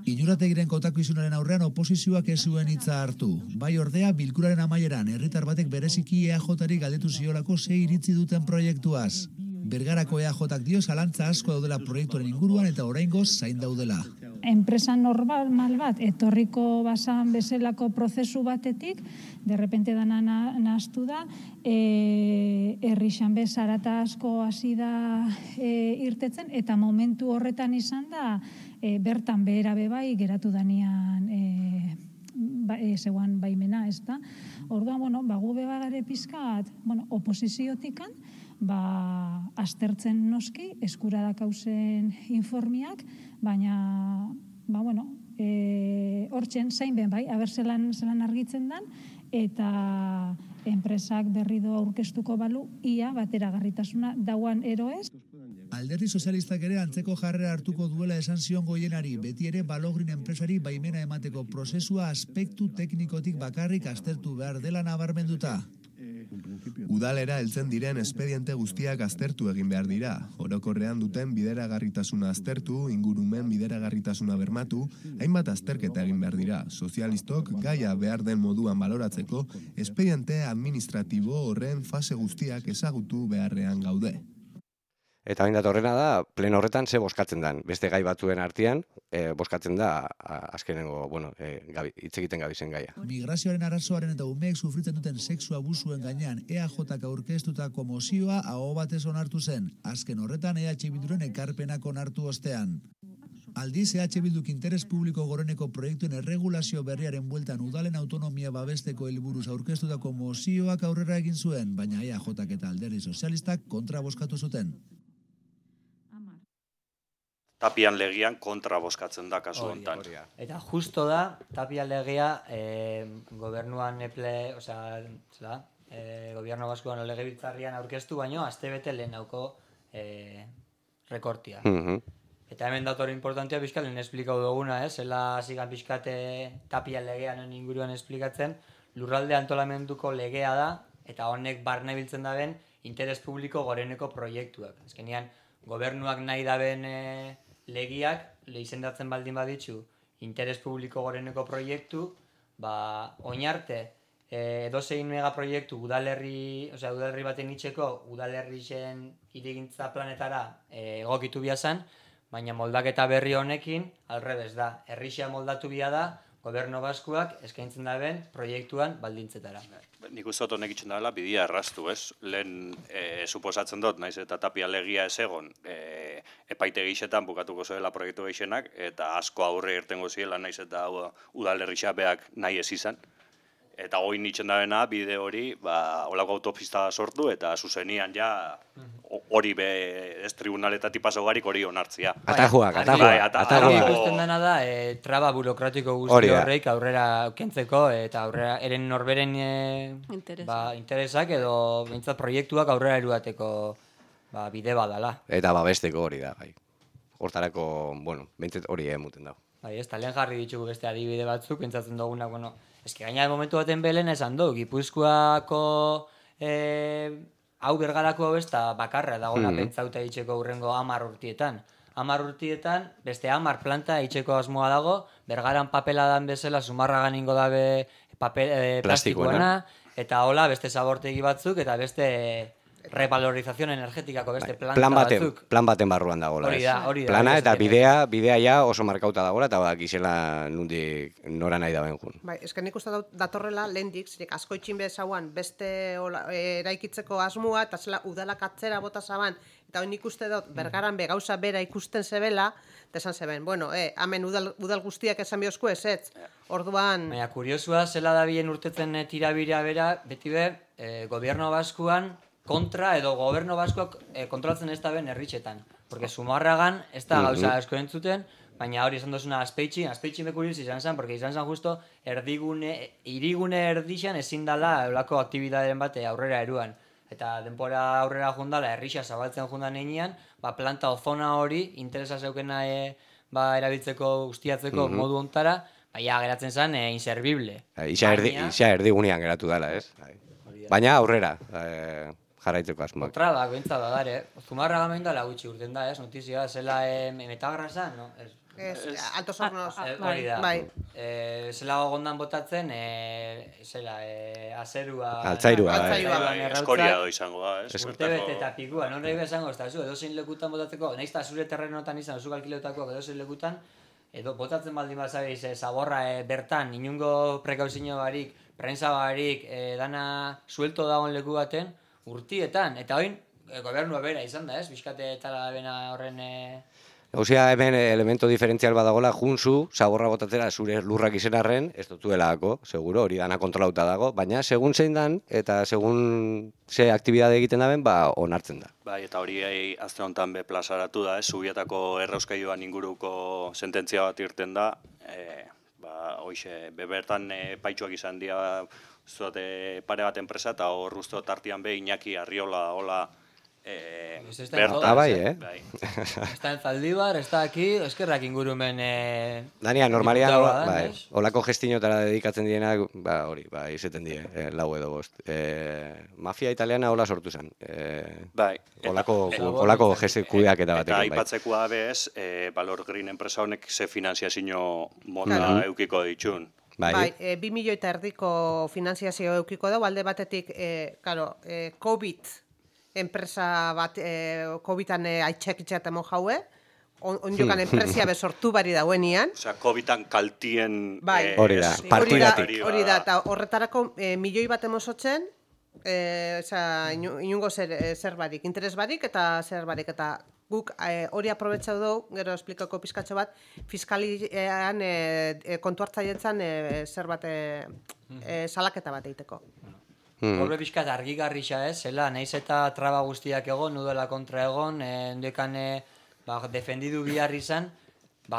Inurrategiren kontakizunaren aurrean oposizioak ez zuen hitza hartu. Bai ordea, bilkuraren amaieran, herritar batek bereziki EAJ-ri galdetu ziolako ze iritzi duten proiektuaz. Bergarako EAJ-ak dio zalantza asko daudela proiektuaren inguruan eta oraingoz zain daudela. Enpresa normal bat, etorriko basan bezalako prozesu batetik, derrepente dana nahaztu da, herrixan bezarata asko hasi da irtetzen, eta momentu horretan izan da, bertan behera bebai geratu danean zeuan baimena, ez da. Orduan, gu bebagare pizkat, oposiziotikan, aztertzen noski, eskura dakauzen informiak, baina, hortzen zain ben bai, aber zelan argitzen dan, eta enpresak berrido aurkeztuko balu, ia bateragarritasuna dauan eroez. Alderdi sozialistak ere antzeko jarrera hartuko duela esan zion Goienari, beti ere Balogrin enpresari baimena emateko prozesua aspektu teknikotik bakarrik aztertu behar dela nabarmenduta. Udalera heltzen diren espediente guztiak aztertu egin behar dira. Orokorrean duten bideragarritasuna aztertu, ingurumen bideragarritasuna bermatu, hainbat azterketa egin behar dira. Sozialistok gaia behar den moduan baloratzeko, espediente administratibo horren fase guztiak ezagutu beharrean gaude. Eta hain datorrena da, pleno horretan ze boskatzen dan. Beste gai batzuen artean, boskatzen da azkenengo, hitz egiten gabizen gaia. Migrazioaren arazoaren eta umeek sufritzen duten sexu abusuen gainean EAJak aurkeztutako mozioa aho batez onartu zen. Azken horretan EH Bilduren ekarpenak onartu ostean. Aldiz, EH Bilduk interes publiko goreneko proiektuen erregulazio berriaren bueltan udalen autonomia babesteko helburuz aurkeztutako mozioak aurrera egin zuen, baina EAJak eta alderdi sozialistak kontra bozkatu zuten. Tapian legian kontra bozkatzen da kasu honetan. Eta justo da, Tapia legea gobernuan gobierno baskoan legebiltzarrian aurkeztu baino, astebete lehenauko rekortia. Eta hemen dator importantea bizkat lehen esplikau duguna, zela zigan bizkate Tapia legean inguruan esplikatzen, lurralde antolamenduko legea da, eta honek barne biltzen daben interes publiko goreneko proiektuak. Azkenean, gobernuak nahi daben legiak, izendatzen baldin baditzu, interes publiko goreneko proiektu, oinarte, edozein megaproiektu udalerri baten itxeko, udalerrixen hirigintza planetara egokitu biazan, baina moldaketa berri honekin, alrebez da, herrixea moldatu bia da, gobernu baskuak eskaintzen daben proiektuan baldintzetara. Nik uste dut honek itxen dela bidia erraztu, ez? Lehen suposatzen dut, naiz eta Tapia legia ez egon, epaite gixetan bukatuko zoela proiektu gixenak, eta asko aurre irtengo ziela, naiz eta udalerrixa beak nahi ez izan. Eta hori nitzen dabena, bide hori, holako autopista sortu, eta zuzenian ja hori ez tribunaletatik pasogarik hori onartzia. Atajuak. Ikusten dena da, traba burokratiko guzti horreik aurrera kentzeko eta aurrera eren norberen interesak edo bintzat proiektuak aurrera eruateko bide badala. Eta babesteko hori da, bai. Hortarako, bintzat hori emuten dago. Bai, ez talen jarri ditugu beste adibide batzuk, pentsatzen dugunak, eski gaina momentu baten belen esan du, Gipuzkoako hau Bergarako besta bakarra dagona pentsauta itxeko hurrengo 10 urtietan. 10 urtietan, beste 10 planta itxeko asmoa dago, Bergaran papela dan bezala, Zumarragan ingo dabe plastikoana, eta hola beste zabortegi batzuk, eta beste revalorización energetikako beste planta batzuk. Plan baten barruan dagoela. Hori da. Plana eta bidea ja oso markauta dagoela, eta gizela nundik nora nahi daben jun. Bai, esken nik uste datorrela lehendik, zirik asko itxin bezauan beste eraikitzeko asmoa, eta zela udalak atzera bota zaban, eta hori nik uste dut Bergaran gauza bera ikusten zebela, eta esan zeben, hemen udal guztiak esan biozko ez, orduan... Baina, kuriosua, zela da bien urtetzen tirabira bera, beti gobierno baskuan, kontra edo goberno baskoak kontrolatzen ez da ben herritxetan. Porque Zumarragan ez da gauza asko entzuten, baina hori esan dozuna Azpeitxin bekuriuz izan zen, porque izan zen justo irigune erdixan ezin dala eulako aktibidaderen bate aurrera eruan. Eta denpora aurrera jundala, herrixa zabaltzen jundan einean, planta ozona hori, interesa zeukena erabiltzeko, ustiatzeko modu ontara, geratzen zen inservible. Isa erdigunean geratu dela, ez? Baina aurrera jarraitzeko asmoak. Kontrabak, bentsa da dare. Zumarragan behin dala gutxi urten da, ez? Notizioa, zela metagrasa, no? Altos hornos. Hori da. Zela gondan botatzen, azerua... Altzairua. Eskoria izango da, ez? Urtebete eta pikua, non nahi bezango, ez da zu, edozein lekutan botatzeko, nahiz eta zure terrenotan izan, zuk alkilotakoak edozein lekutan, edo botatzen baldin bazabiz, zaborra bertan, inungo prekauzio barik, prensa barik, dana suelto dagoen leku baten, urtietan, eta oin, gobernua bera izan da, ez? Bizkate eta bena horren... Gauzia hemen elemento diferentzial badagola, junzu, zaborra botatzera zure lurrak izenarren, ez dutuelako, seguro, hori dana kontrolauta dago, baina segun zein dan, eta segun ze aktibidade egiten daben, onartzen da. Bai, eta hori azte honetan plazaratu da, Zubietako errauskaioan inguruko sententzia bat irten da, hoxe, bebertan paitxuak izan dira pare bat enpresa, eta hor uste tartian Iñaki Arriola hola bertan. Bai, Está en Zaldibar, está aquí, eskerrak ingurumen... Dania, normalian, holako gestinotara dedikatzen dienak, hori, izeten die, lau edo bost. Mafia italiana hola sortu zen. Holako kudeak eta batekin. Eta aipatzekoa bez, Valor Green enpresa honek ze finanziazio mota eukiko ditxun. Bai, 2 milioi eta erdiko finanziazio eukiko da, alde batetik, COVID enpresa bat, COVID-an aitxekitxeat emo jaue, ondiokan enpresia besortu bari dauenian. Osea, COVID-an kaltien... Hori da, partidatik. Hori da, eta horretarako milioi bat emosotzen, inungo zer barik, interes barik eta zer barik, eta guk hori aprobetxau dugu, gero esplikako pizkatxo bat, fiskalian kontu hartzaietzan zer bat salaketa bat egiteko. Horbe pixkat argigarrixa ez, zela, nahiz eta traba guztiak egon, nudela kontra egon, endekan defendidu bihar izan,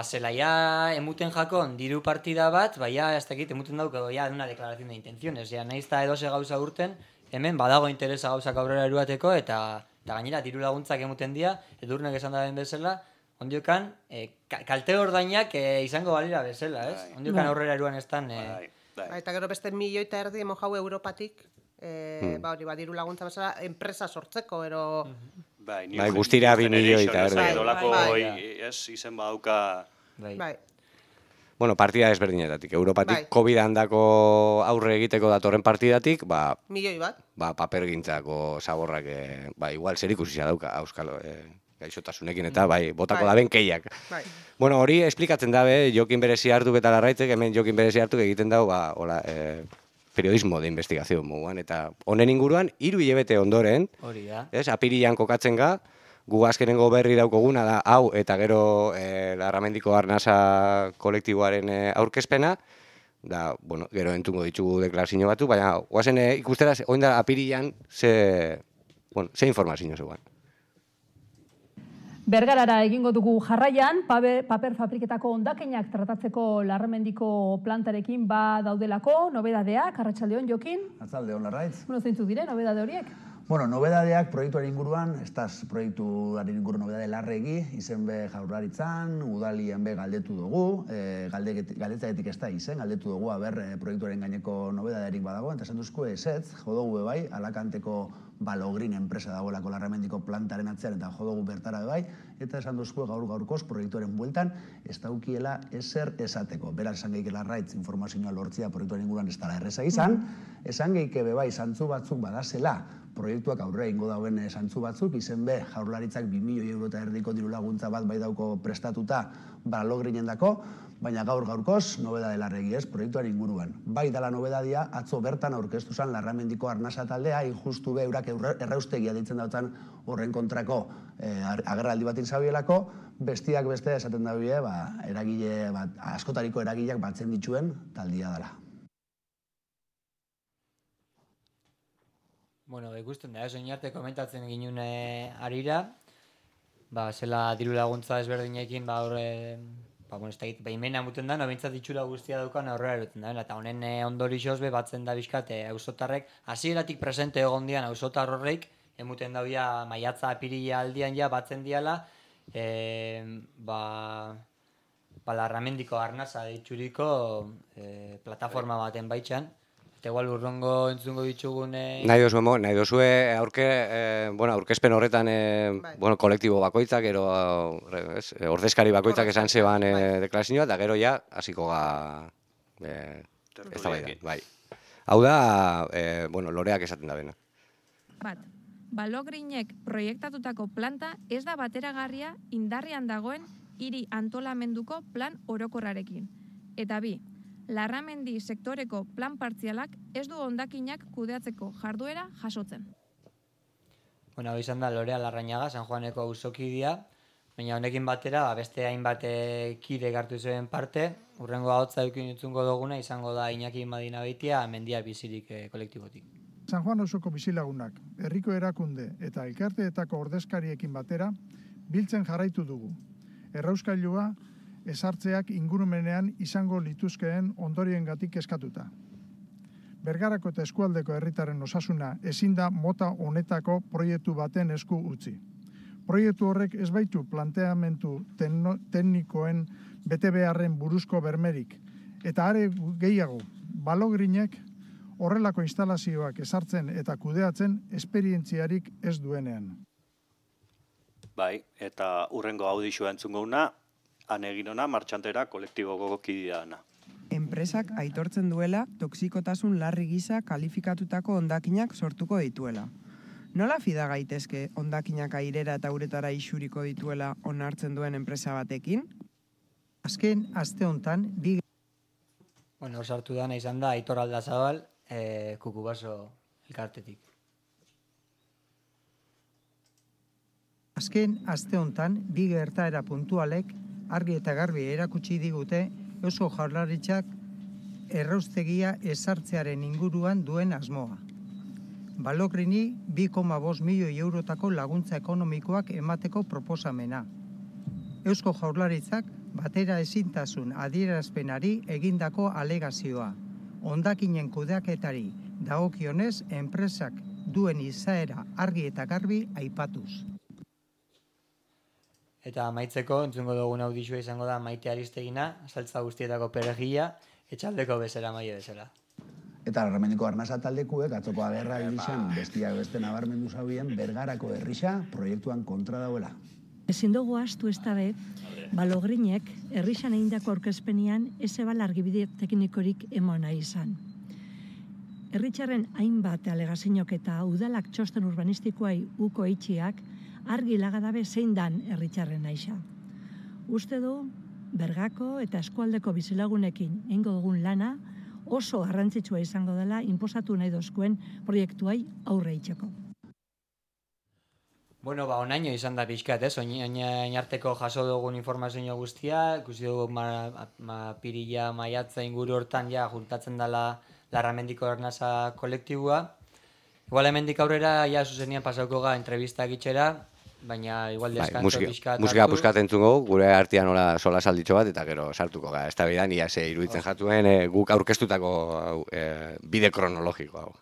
zela ja emuten jakon diru partida bat, ez dakit emuten dauk ja una declaración de intenciones, nahiz eta edoze gauza urten, hemen badago interesa gauzak aurrera eruateko, eta gainera diru laguntzak emuten dira, edurnek esan da den bezala, ondiokan, kalte ordainak izango balira bezala, ez? Ondiokan aurrera eruan estan... Eta gero beste 1,5 milioi emo jau Europatik, diru laguntza bezala, enpresa sortzeko, ero... Bai, guztira 2 milioi eta erdi. Dolako, izen badauka... Bai. Bueno, partida ezberdinetatik. Europatik COVID-an dako aurre egiteko datorren partidatik, milioi bat. Papergintzako zaborrak, igual zer ikusia dauka, auskalo, gaixotasunekin eta botako daben keiak. Bueno, hori esplikatzen dabe, Jokin Berezi hartuk eta Larraitzek, hemen Jokin Berezi hartuk egiten dau, periodismo de investigación moguan, eta honen inguruan, 3 hilabete ondoren, apirian kokatzen ga, gu azkenengo berri daukoguna da, hau eta gero Larramendiko Arnasa kolektiboaren aurkezpena, da, gero entungo ditugu deklarazio batu, baina guazen ikustera, oindara apirian, ze informazio zegoen. Bergarara egingo dugu jarraian, paper fabriketako hondakinak tratatzeko Larramendiko plantarekin daudelako, nobedadeak, arratsaldeon Jokin. Arratsaldeon Larraitz. Zeintzuk diren nobedade horiek? Bueno, nobedadeak proiektuaren inguruan, estaz proiektuaren inguru nobedade larregi, izen be Jaurlaritzan, udalien be galdetu dugu, galdetzaetik ez da izen, galdetu dugu proiektuaren gaineko nobedaderik badago, eta esan duzko ezetz, jodogu bai, Alakanteko Balogrin enpresa dagoelako Larramendiko plantaren atzean eta jodogu bertara bai, eta esan duzko gaurkoz proiektuaren bueltan ez daukiela ezer esateko. Beraz, esan gehiak Larraitz informazioa lortzia proiektuaren inguruan ez dela erreza izan, esan gehiak bai, zantzu batzuk badazela, proiektuak aurre ingo dauen zantzu batzuk, izen be, Jaurlaritzak 2 milioi euro eta erdiko diru laguntza bat bai dauko prestatuta Balogrinen dako, baina gaurkoz, nobedade larregi ez, proiektuaren inguruan. Bai dala nobedadia, atzo bertan aurkeztu zen Larramendiko arnasa taldea, injustu be, eurak erraustegia ditzen dautan horren kontrako agerraldi bat inzabielako, bestiak beste esaten dabie, eragile, askotariko eragileak batzen dituen taldia dela. Bueno, ikusten da, oin arte komentatzen ginen arira, zela diru laguntza ezberdinekin, imena muten da, bintzat itxura guztia daukan aurrera eroten da, eta honen ondorixoz batzen da bizkat auzotarrek, hasieratik presente egon dian auzotar horreik, emuten daubia maiatza apirila aldian batzen diala, Larramendiko arnasa ditxuriko plataforma baten baitxan, eta igual urrongo entzungo ditugun... Nahi dozue aurkezpen horretan kolektibo bakoitzak, ordezkari bakoitzak esan zeban deklarazioa, eta gero ja, hasiko ez da bai. Hau da, loreak esaten da bena. Bat, Balogrinek proiektatutako planta ez da bateragarria indarrean dagoen hiri antolamenduko plan orokorrarekin. Eta bi, Larramendi sektoreko plan partzialak ez du hondakinak kudeatzeko jarduera jasotzen. Hau izan da Lorea Larrañaga, San Juaneko auzokidea, baina honekin batera beste hainbat kide hartu zuen parte, urrengo ahotsa edukin entzungo duguna izango da Iñaki Madinabeitia Mendia bizirik kolektibotik. San Juan auzoko bizilagunak, herriko erakunde eta elkarteetako ordezkariekin batera biltzen jarraitu dugu. Errauskailua ezartzeak ingurumenean izango lituzkeen ondoriengatik eskatuta. Bergarako eta eskualdeko herritaren osasuna ezin da mota honetako proiektu baten esku utzi. Proiektu horrek ez baitu planteamendu teknikoen betebeharren buruzko bermerik, eta are gehiago, Balogrinek horrelako instalazioak ezartzen eta kudeatzen esperientziarik ez duenean. Bai, eta urrengo audizioa entzungo una, egin ona martxantera kolektiboko kideana. Enpresak aitortzen duela toxikotasun larri gisa kalifikatutako hondakinak sortuko dituela. Nola fida gaitezke hondakinak airera eta uretara isuriko dituela onartzen duen enpresa batekin? Azken aste hontan sartu dana izan da Aitor Aldazabal, Kukubaso elkartetik. Azken aste hontan bi gertaera puntualek argi eta garbi erakutsi digute Eusko Jaurlaritzak erraustegia ezartzearen inguruan duen asmoa. Balogrini 2,5 milioi eurotako laguntza ekonomikoak emateko proposamena. Eusko Jaurlaritzak batera ezintasun adierazpenari egindako alegazioa. Hondakinen kudeaketari dagokionez enpresak duen izaera argi eta garbi aipatuz. Eta amaitzeko, entzungo dugun audizioa izango da Maite Aristegina, saltza guztietako perejila, etxaldeko bezala maio bezala. Eta Larramendiko arnasa taldekuek atzoko agerra egizan bestiak beste nabarmendu zaubien Bergarako herrisa proiektuan kontra dauela. Ezin dugu astu ez da be, Balogrinek herrisan egindako aurkezpenean ezebal argibide teknikorik emona izan. Herritxarren hainbat alegazinok eta udalak txosten urbanistikoai uko eitxiak argi lagadabe zein dan herritxarren naixa. Uste du, Bergako eta eskualdeko bizilagunekin eingo dugun lana oso garrantzitsua izango dela inposatu nahi dozkuen proiektuai aurre itxeko. Onaino izan da pixkat, oin arteko jaso dugun informazio guztia, ikusi dugu pirila maiatza inguru hortan juntatzen dela Larramendiko arnasa kolektibua. Igual hemendik aurrera, zuzenian pasauko ga entrevistak itxera, baina igual deskantzo pixkat musika puskat entzungo, gure artean nola sola salditxo bat, eta gero sartuko gara. Ez da bidan, ia ze iruditzen jatuen guk aurkeztutako bide kronologiko hau.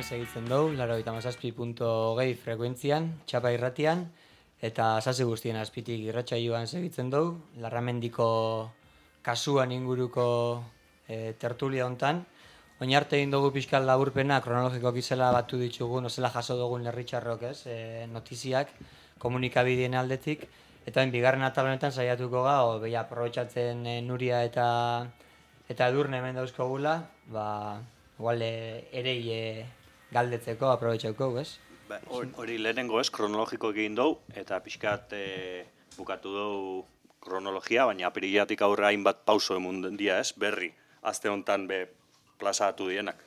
segitzen dugu, 87.2 frekuentzian, txapa irratian, eta sasi guztien azpitik irratsaioan segitzen dugu, Larramendiko kasuan inguruko tertulia hontan. Oinarte egin dugu pixkal laburpena, kronologiko gizela batu ditugu, nozela jaso dugun lerritxarrok, notiziak, komunikabideen aldetik, eta bigarren atal honetan saiatuko ga, beha aprobetxatzen Nuria eta Edurne hemen dauzkogula, igual erei galdetzeko, aprobetxauko, ez? Hori lehenengo ez, kronologiko egin dugu, eta pixkat bukatu dugu kronologia, baina apirilatik aurre hainbat pauso emun dia ez, berri, azte honetan plazatu dienak.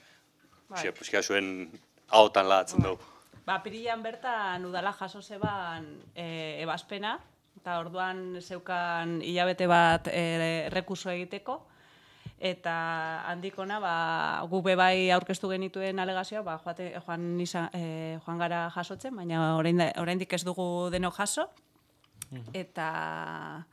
Pixka zuen ahotan lagatzen dugu. Apirilan bertan udala jaso zeban ebazpena, eta orduan zeukan hilabete bat rekurso egiteko, eta handikona guk bai aurkeztu genituen alegazioa joan gara jasotzen, baina oraindik ez dugu denok jaso, eta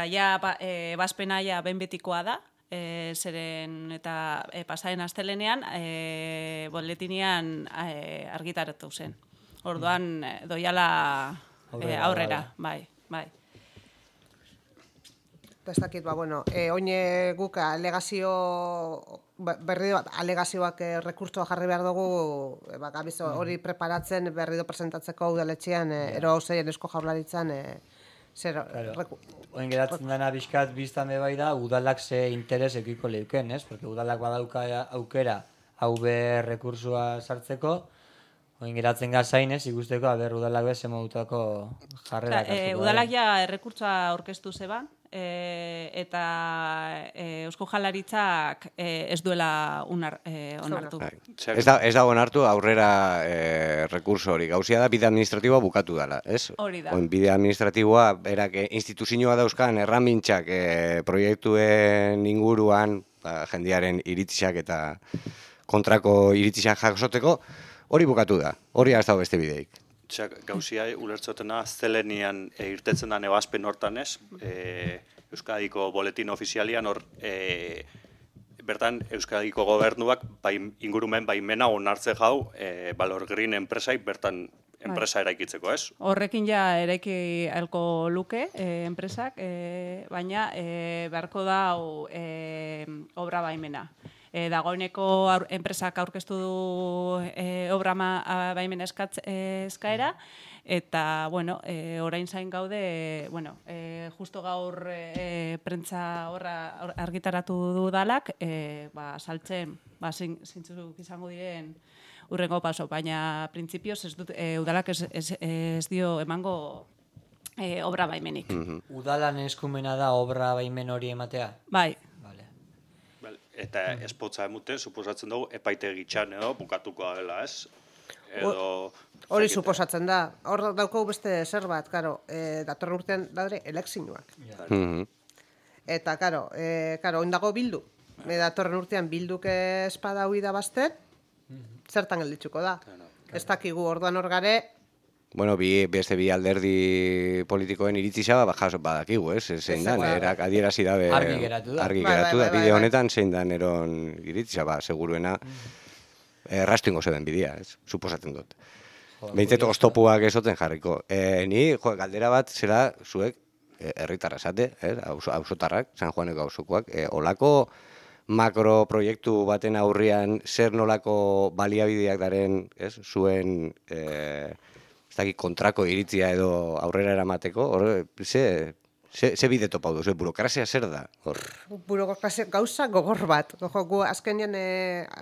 ja ebazpena ja behin betikoa da, zeren eta pasaren astelenean boletinian argitaratu zen. Orduan doiala aurrera, bai. ez dakit, oin guk alegazio, berri alegazioak rekurtsoa jarri behar dugu, hori preparatzen berri presentatzeko udaletxean, ero hauzeien Eusko Jaurlaritzan, Oin geratzen dena bizkat biztan bai da, udalak ze interes ekiko leuken, ez? Porque udalak badauka aukera hau behar rekursua sartzeko, oin geratzen gazain, ez? Ikusteko, udalak bez emodutako jarrera. Udalak ja errekurtsoa aurkeztu zeban, eta Eusko Jaurlaritzak ez duela onartu. Ez da onartu aurrera rekurso hori. Gauzia da bide administratiboa bukatu dela, ez? Hori da. Bide administratiboa, berak instituzioa dauzkan erramintxak proiektuen inguruan, jendearen iritzak eta kontrako iritzak jasoteko, hori bukatu da. Hori ez dago beste bideik. Gauzia ulertzotena zelenian irtetzen da nebazpen hortan ez, Euskadiko boletin ofizialian hor, bertan Euskadiko gobernuak ingurumen baimena onartze jau Valor Green enpresaik bertan enpresa eraikitzeko, ez? Horrekin ja eraiki alko luke enpresak, baina beharko da obra baimena. Dagoeneko enpresak aurkeztu du obra baimen eskaera, eta, orain zain gaude, justo gaur prentza horra argitaratu du dalak, saltzen, zintzuk izango diren urrengo paso, baina printzipioz udalak ez dio emango obra baimenik. Udalan eskumena da obra baimen hori ematea? Bai. Eta espotza emute, suposatzen dugu, epaitegitxan edo bukatuko dela, ez? Hori suposatzen da. Hor dauko beste zer bat, datorren urtean daude elekzioak. Eta, oindago bildu. Datorren urtean bilduk espada hui da bazten, zertan gelditzuko da. Ez dakigu orduan hor gare, beste bi alderdi politikoen iritzisa badakigu, ez? Zein dan, erak adierazi dabe... Argi geratu da. Argi geratu da, bide honetan zein dan eron iritzisa, seguruena errastu ingo zeden bidea, ez? Suposatzen dut. Behintzat oztopuak ezoten jarriko. Ni, galdera bat, zera zuek herritarra esate, auzotarrak, San Juaneko auzokoak, olako makroproiektu baten aurrian zer nolako baliabideak daren, zuen... kontrako iritzia edo aurrera eramateko, ze bide topau duzu, burokrazia zer da? Burokrazia gauza gogor bat. Gu azkenean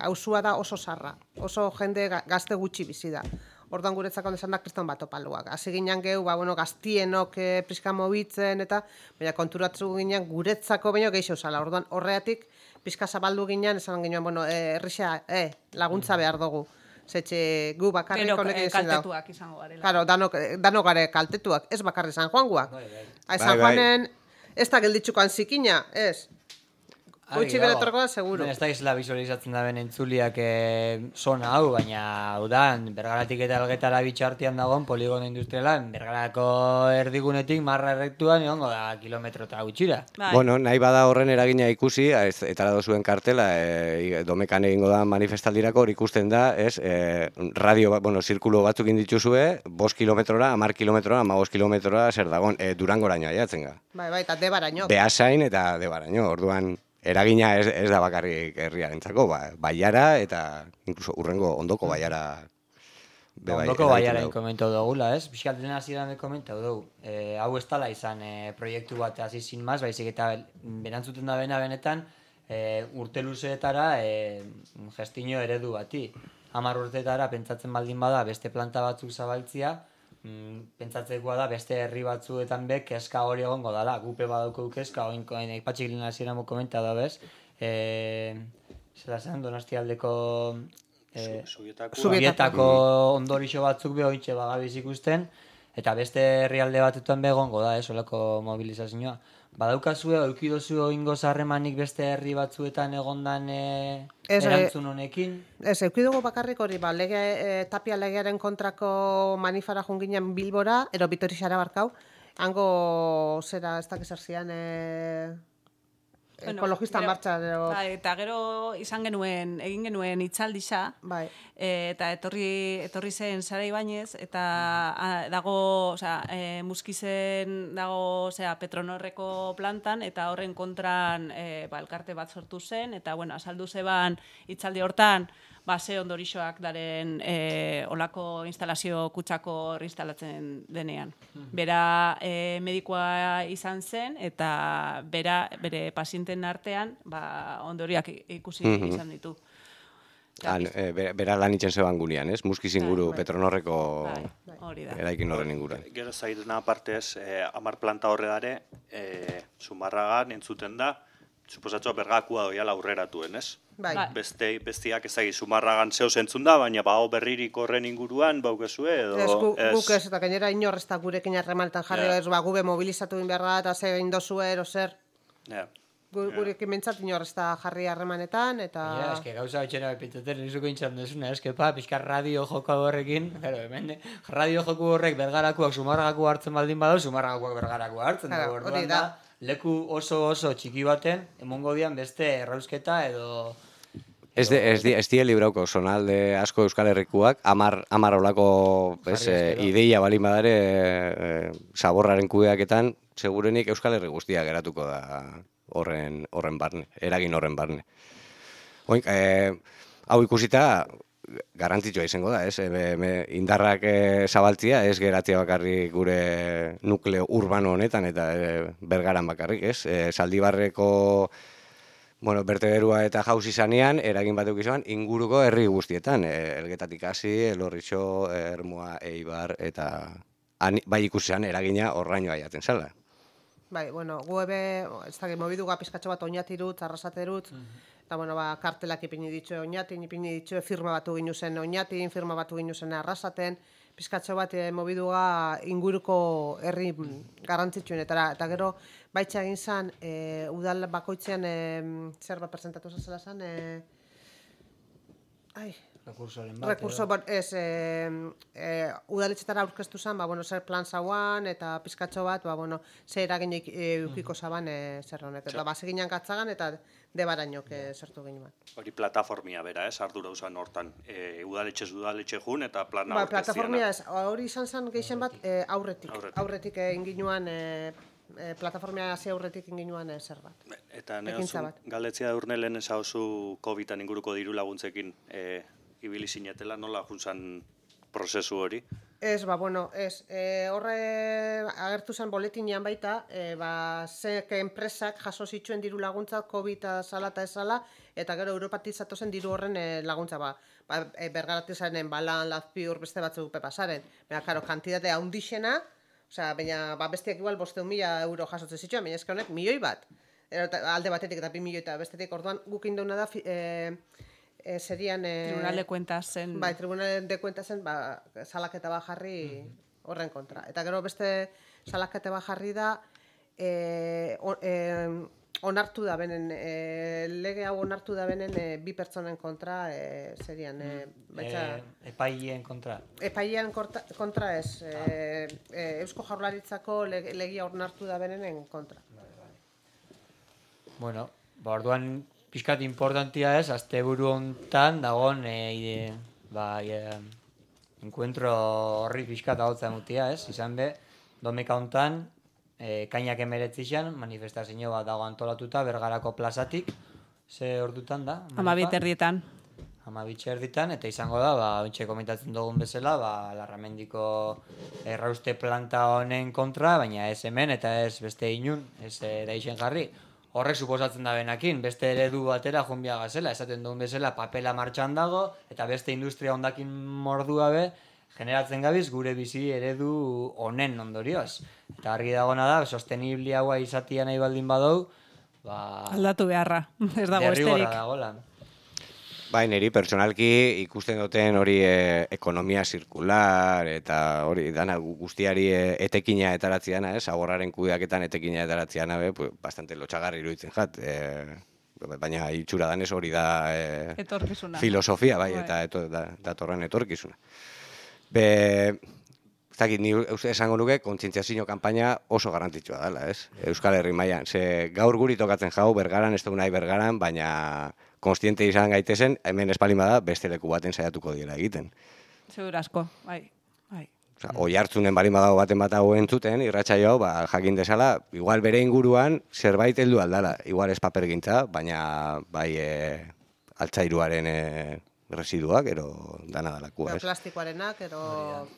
auzua da oso zarra, oso jende gazte gutxi bizi da. Orduan guretzako esan da kriston bat topaluak. Hasi ginen gehu, gaztienok pixka mobitzen eta baina konturatu ginen guretzako baino gehiago zala. Orduan horreatik pixka zabaldu ginen, esan ginen, errisa laguntza behar dugu. Zetxe gu bakarrik honekin ezin dago. Kaltetuak izango garela. Claro, dano gare kaltetuak, ez bakarri San Juanguak. San Juanen ez da gelditzukoan zikina, ez. Gutxi beretorko da, seguro. Ez da izla visualizatzen da ben entzuliak zona hau, baina udan, Bergaratik eta Elgetara bitxartian dagoen poligono industrialan, Bergarako erdigunetik marra errektuan egongo da kilometro eta gutxira. Nahi bada horren eragina ikusi, etara dozuen kartela, domekan egingo da manifestaldirako, hor ikusten da, radio, zirkulo batzuk indituzue, 5 kilometrora, 10 kilometrora, 15 kilometrora, zer dagoen, Durangoraino aiatzen ga. Bai, eta Debaraino. Beasain eta Debaraino, orduan... Eragina ez da bakarrik herriarentzako, baiara eta inkluso urrengo ondoko baiara. Ondoko baiara inkomentau dugula, ez? Bizkalten hasieran komentau dugu. Hau ez tala izan proiektu bat hasi sin maz, baizik eta berantzuten da benetan urte luzeetara gestio eredu bati. 10 urteetara pentsatzen baldin bada beste planta batzuk zabaltzia, pentsatzekoa da beste herri batzuetan kezka hori egongo dala. Gupe badauko kezka, oinkoen ipatxik lina hasieran komenta da bez. Zela zen, Donostialdeko Zubietako ondorixo batzuk ointxe bagabiz ikusten, eta beste herrialde batetan egongo da, olako mobilizazioa. Badaukazue, eukidozu oingo zarremanik beste herri batzuetan egondan erantzun honekin? Ez, eukidugu bakarrik hori, Tapia legearen kontrako manifara junginen Bilbora, ero Bitorixara barkau, hango zera, ez dakizar zian, ekologista martxa. Eta gero egin genuen itzaldisa, eta etorri zen Sara Ibañez, eta dago, Muskizen dago Petronorreko plantan, eta horren kontran elkarte bat sortu zen, eta azaldu zeban itzaldi hortan, ze ondorixoak daren olako instalazio kutsako instalatzen denean. Bera medikoa izan zen, eta bere pazienten artean ondoriak ikusi izan ditu. Bera lan itxen zeban gunean, ez? Muskiz inguru Petronorreko eraikin horren inguruan. Gero zairena aparte ez, 10 planta horredare, Zumarragan entzuten da, suposatxoa bergakua doiala aurreratuen, ez? Bestiak ezagi Zumarragan zehoz entzun da, baina berririk horren inguruan baukezue edo... Guk ez, eta gainera inor ez da gurekin harremanetan jarri, gube mobilizatu inberra eta ze indozue ero zer. Gurekin mentzat inor ez da jarri harremanetan, eta... Eske gauza betxera bepiteten, nizuko intxan desuna, pixkar radio joko horrekin, radio joko horrek bergarakuak Zumarragaku hartzen baldin badau, Zumarragakuak bergaraku hartzen da, orduan da. Leku oso txiki baten, emongo dian beste errausketa edo... Ez die librauko zonalde asko Euskal Herrikuak, 10 olako ideia balin badare zaborraren kudeaketan, segurenik Euskal Herri guztia geratuko da horren barne, eragin horren barne. Hau ikusita, garrantzitsua izango da, ez? Indarrak zabaltzia, ez geratzea bakarrik gure nukleo urbano honetan eta Bergaran bakarrik, ez? Zaldibarreko bertederua eta jauz izanean, eragin batek izan, inguruko herri guztietan. Elgetatik hasi, Elorritxo, Ermua, Eibar, eta bai ikusian eragina horraino aiatzen zala. Bai, gu ebe, ez da, mobiduga pizkatxo bat oinatirut, arrasaterut, eta, kartelak ipini ditxo oinatin, ipini ditxo firma batu ginu zen oinatin, firma batu ginu zen arrasaten, pizkatxo bat mobiduga inguruko herri garrantzitsuenetara. Eta gero, baitxa egin zen, udal bakoitzean, zer bat presentatu zazela zen, Rekurso, udaletxetara aurkeztu zen, zer plan zauan, eta pizkatxo bat, zer eraginek eukiko zaban zer honek. Eta baseginan katzagan, eta debarainok zertu ginen. Hori plataformia bera, ardura usan hortan. Udaletxe jun, eta plana aurkeztiana. Plataformia ez, hori izan zen geixen bat aurretik. Aurretik inginuan, plataformia hasi aurretik inginuan zer bat. Eta neozu, galdetzia urnelen ez hauzu COVID-an inguruko diru laguntzekin ibili zinetela, nola juntzan prozesu hori? Ez, horre agertu zen boletinean baita, zeke enpresak jaso zituen diru laguntza COVID zala eta ezala, eta gero Europatizatu zen diru horren laguntza, Bergaratizaren balan, lazpiur, beste batzuk pepasaren. Baina, kantitate handixena, baina bestiak igual 500.000 euro jasotzen zituen, baina ezke honek milioi bat. Alde batetik eta 2 milioi eta bestetik orduan guk indauna da serian... Tribunal de Cuentas zen. Tribunal de Cuentas zen, salaketa bat jarri horren kontra. Eta gero beste salaketa bat jarri da, onartu da benen, lege hau onartu da benen 2 pertsonen kontra serian. Epaileen kontra. Epaileen kontra ez, Eusko Jaurlaritzako legia onartu da benenen kontra. Orduan pixkat importantia ez, asteburu hontan dagoen enkuentro horri pixkat hautzen mutia ez, izan be, domeka hontan, kainak 19 manifestazio bat dago antolatuta Bergarako plazatik, ze ordutan da? 12:00. 12:00, eta izango da, ontxe komentatzen dugun bezala, Larramendiko errauste planta honen kontra, baina ez hemen eta ez beste inun, ez daixen jarri. Horrek suposatzen da benakin, beste eredu batera jonbia gazela, esaten duen bezala papela martxan dago, eta beste industria hondakin mordua be, generatzen gabiz gure bizi eredu honen ondorioz. Eta argi dagona da, sostenibliagoa izatia nahi baldin badau, aldatu beharra, ez dago esterik. Derrigora dagoela. Niri pertsonalki ikusten duten hori ekonomia zirkular eta hori dana guztiari etekina etaratziana, zaborraren kudeaketan etekina etaratziana, bastante lotxagarri iruditzen jat. Baina itxura danez hori da etorkizuna. Filosofia, eta datorren etorkizuna. ez dakit, ni esango nuke, kontzientziazio kanpaina oso garrantzitsua dela, ez? Euskal Herri mailan. Ze gaur guri tokatzen jau, Bergaran, ez dugu nahi Bergaran, baina konstiente izan gaitezen, hemen espalin bada, beste leku baten saiatuko diela egiten. Segura asko, bai. Oi hartzunen balin badago baten bat hau entzuten, irratsaio hau, jakin desala, igual bere inguruan zerbait heldu aldala. Igual ez papergintza, baina bai altzairuaren residuak, ero dana dalakua, ez? Plastikoarenak, ero...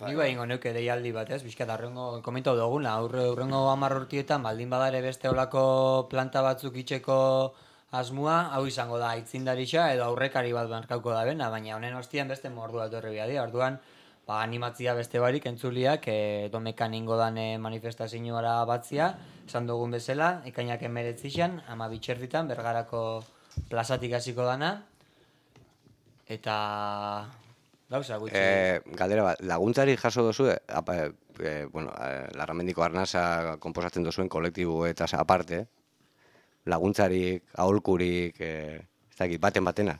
Ni bai ingo neuke deialdi bat, ez? Bizkat, arrengo komentau duguna, urrengo 10 urtietan, baldin badare beste olako planta batzuk itxeko asmua, hau izango da aitzindarixa edo aurrekari bat markauko da bena, baina honen ostian beste mordua etorri behar dira. Orduan, animatzia beste barik entzuliak, domekan ingo dan manifestazioara batzia, esan dugun bezala, ekainak 19 12 Bergarako plazatik hasiko dana, eta gauza gutxi. Galdera bat, laguntzari jaso dozu, Larramendiko Arnasa konposatzen dozuen kolektibo eta aparte, laguntzarik, aholkurik, ez dakit, batena.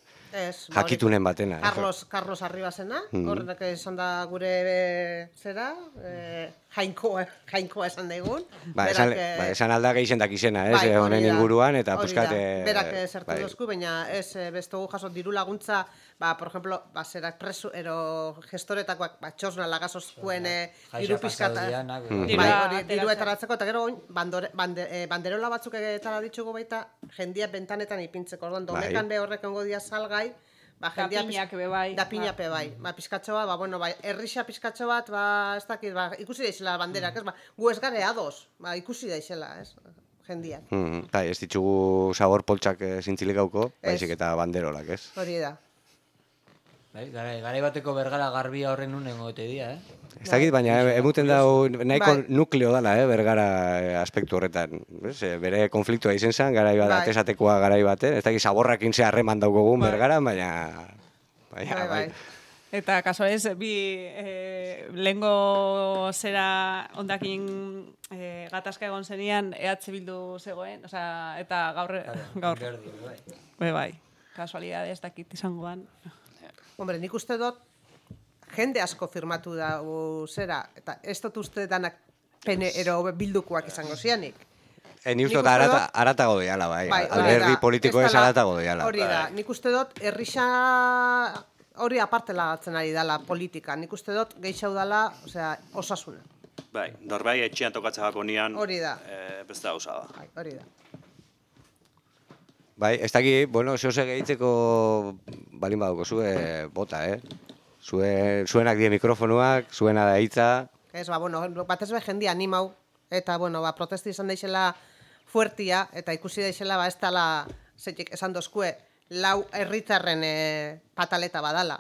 Jakitunen batena. Carlos Arribasena, horrenak esan da gure zera, jainkoa esan daigun. Esan alda gehixen dakizena, honen inguruan, eta puskat... Berak zertu dozku, baina ez bestugu jaso diru laguntza, por ejemplo, zerak presu, ero gestoretakoak, txosna lagazozkuen diru pizkata. Diru etaratzeko, eta gero banderola batzuk etara ditugu baita, jendia bentanetan ipintzeko. Orduan, domekan be horrek ongo dia salgai, Dapiñak bebai. Dapiñak bebai. Pizkatxo bat, errixa pizkatxo bat, ez dakit, ikusi daizela banderak, ez? Gu ez gare ados, ikusi daizela, ez? Jendiak. Ez ditugu sabor poltsak zintzilikauko, baizik eta banderolak, ez? Hori da. Garai bateko Bergara garbia horren unen gote dira, Ez dakit, baina emuten dago nahiko nukleo dala, Bergara aspektu horretan. Bere konfliktua izen zen, garai bat, atesatekoa garai baten. Ez dakit, saborrakin ze harreman daukogun Bergara, baina... Eta kaso ez, lehengo zera ondakin gatazka egon zenian EH Bildu zegoen, eta gaur... Bai, kasualidade ez dakit izangoan. Hombre, nik uste dut, jende asko firmatu dago zera, eta ez dut uste danak pene ero bildukoak izango zianik. Ni uste dut aratago diala, bai. Alderdi politiko ez aratago diala. Hori da, nik uste dut, errixa hori aparte lagatzen ari dala politika. Nik uste dut, gehiago dala, osasuna. Bai, norbai etxean tokatzen gako nian, beste hauza da. Hori da. Bai, ez daki, zehose gehitzeko balin badauko zue bota, Zuenak die mikrofonuak, zuena da hitza. Ez, bat ez jendia animau, eta, protesti izan daixela fuertia, eta ikusi daixela, ez dala, esan dozkue, lau herritarren pataleta badala.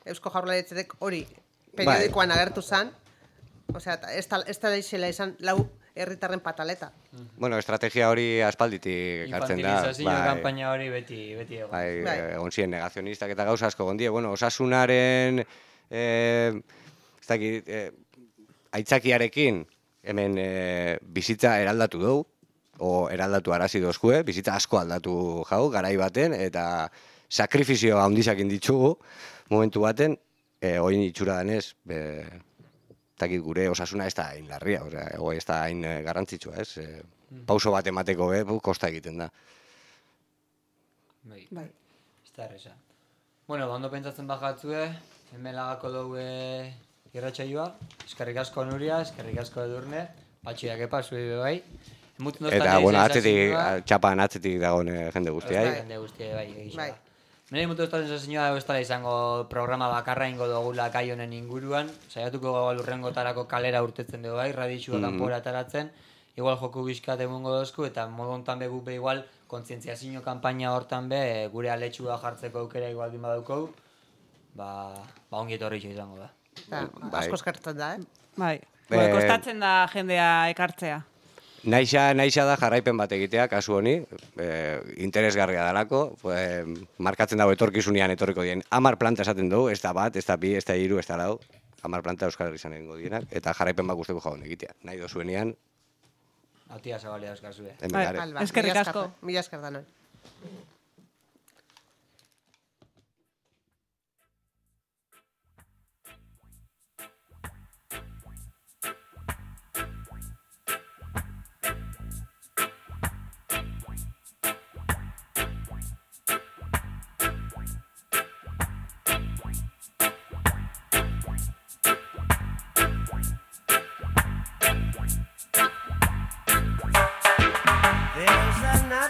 Eusko Jaurlaritzatik hori periodikoan agertu zan, ez da daixela izan lau herritarren pataleta. Estrategia hori aspalditik hartzen da. Infantilizazio kanpaina hori beti egon. Egon ziren negazionistak eta gauza asko gondie. Osasunaren aitzakiarekin hemen bizitza eraldatu dugu, o eraldatu arazi dozkue, bizitza asko aldatu jau, garai baten, eta sakrifizio handizak inditzugu momentu baten, oin itxura danez, takit gure osasuna ez da hain larria, ez da hain garrantzitsua, ez? Pauso bat emateko, kosta egiten da. Bai, ez da erresa. Ondo pentsatzen bajatzue, hemen lagako dugu irratsaioa, eskerrik asko Nuria, eskerrik asko Edurne, patxiak epa, zuei bai. Eta, txapan atzetik dagoen jende guztiai. Jende guztiai, bai, egisa. Nire mutu estatzen sensazioa ez dela izango programa bakarra ingo dugula gai honen inguruan. Saiatuko lurrengotarako kalera urtetzen dugu bai, radixua kanpora ataratzen. Igual joku bizkat emungo dozku eta modu hontan be gupe igual kontzientziazio kanpaina hortan be gure aletxua jartzeko aukera igual din badauko. Ongi etorritxo izango da. Asko eskertzen da, Bai, kostatzen da jendea ekartzea. Naixa da jarraipen bat egitea, kasu honi, interesgarria dalako, markatzen dago etorkizunean etorriko dien. 10 planta esaten dugu, ez da bat, ez da bi, ez da 3, ez da 4, 10 planta Euskal Herri izango dienak, eta jarraipen bat guzteko jaun egitea. Nahi dozuenean... Atia zabalea euskazue. Eskerrik asko. Mila esker da noi.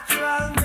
natural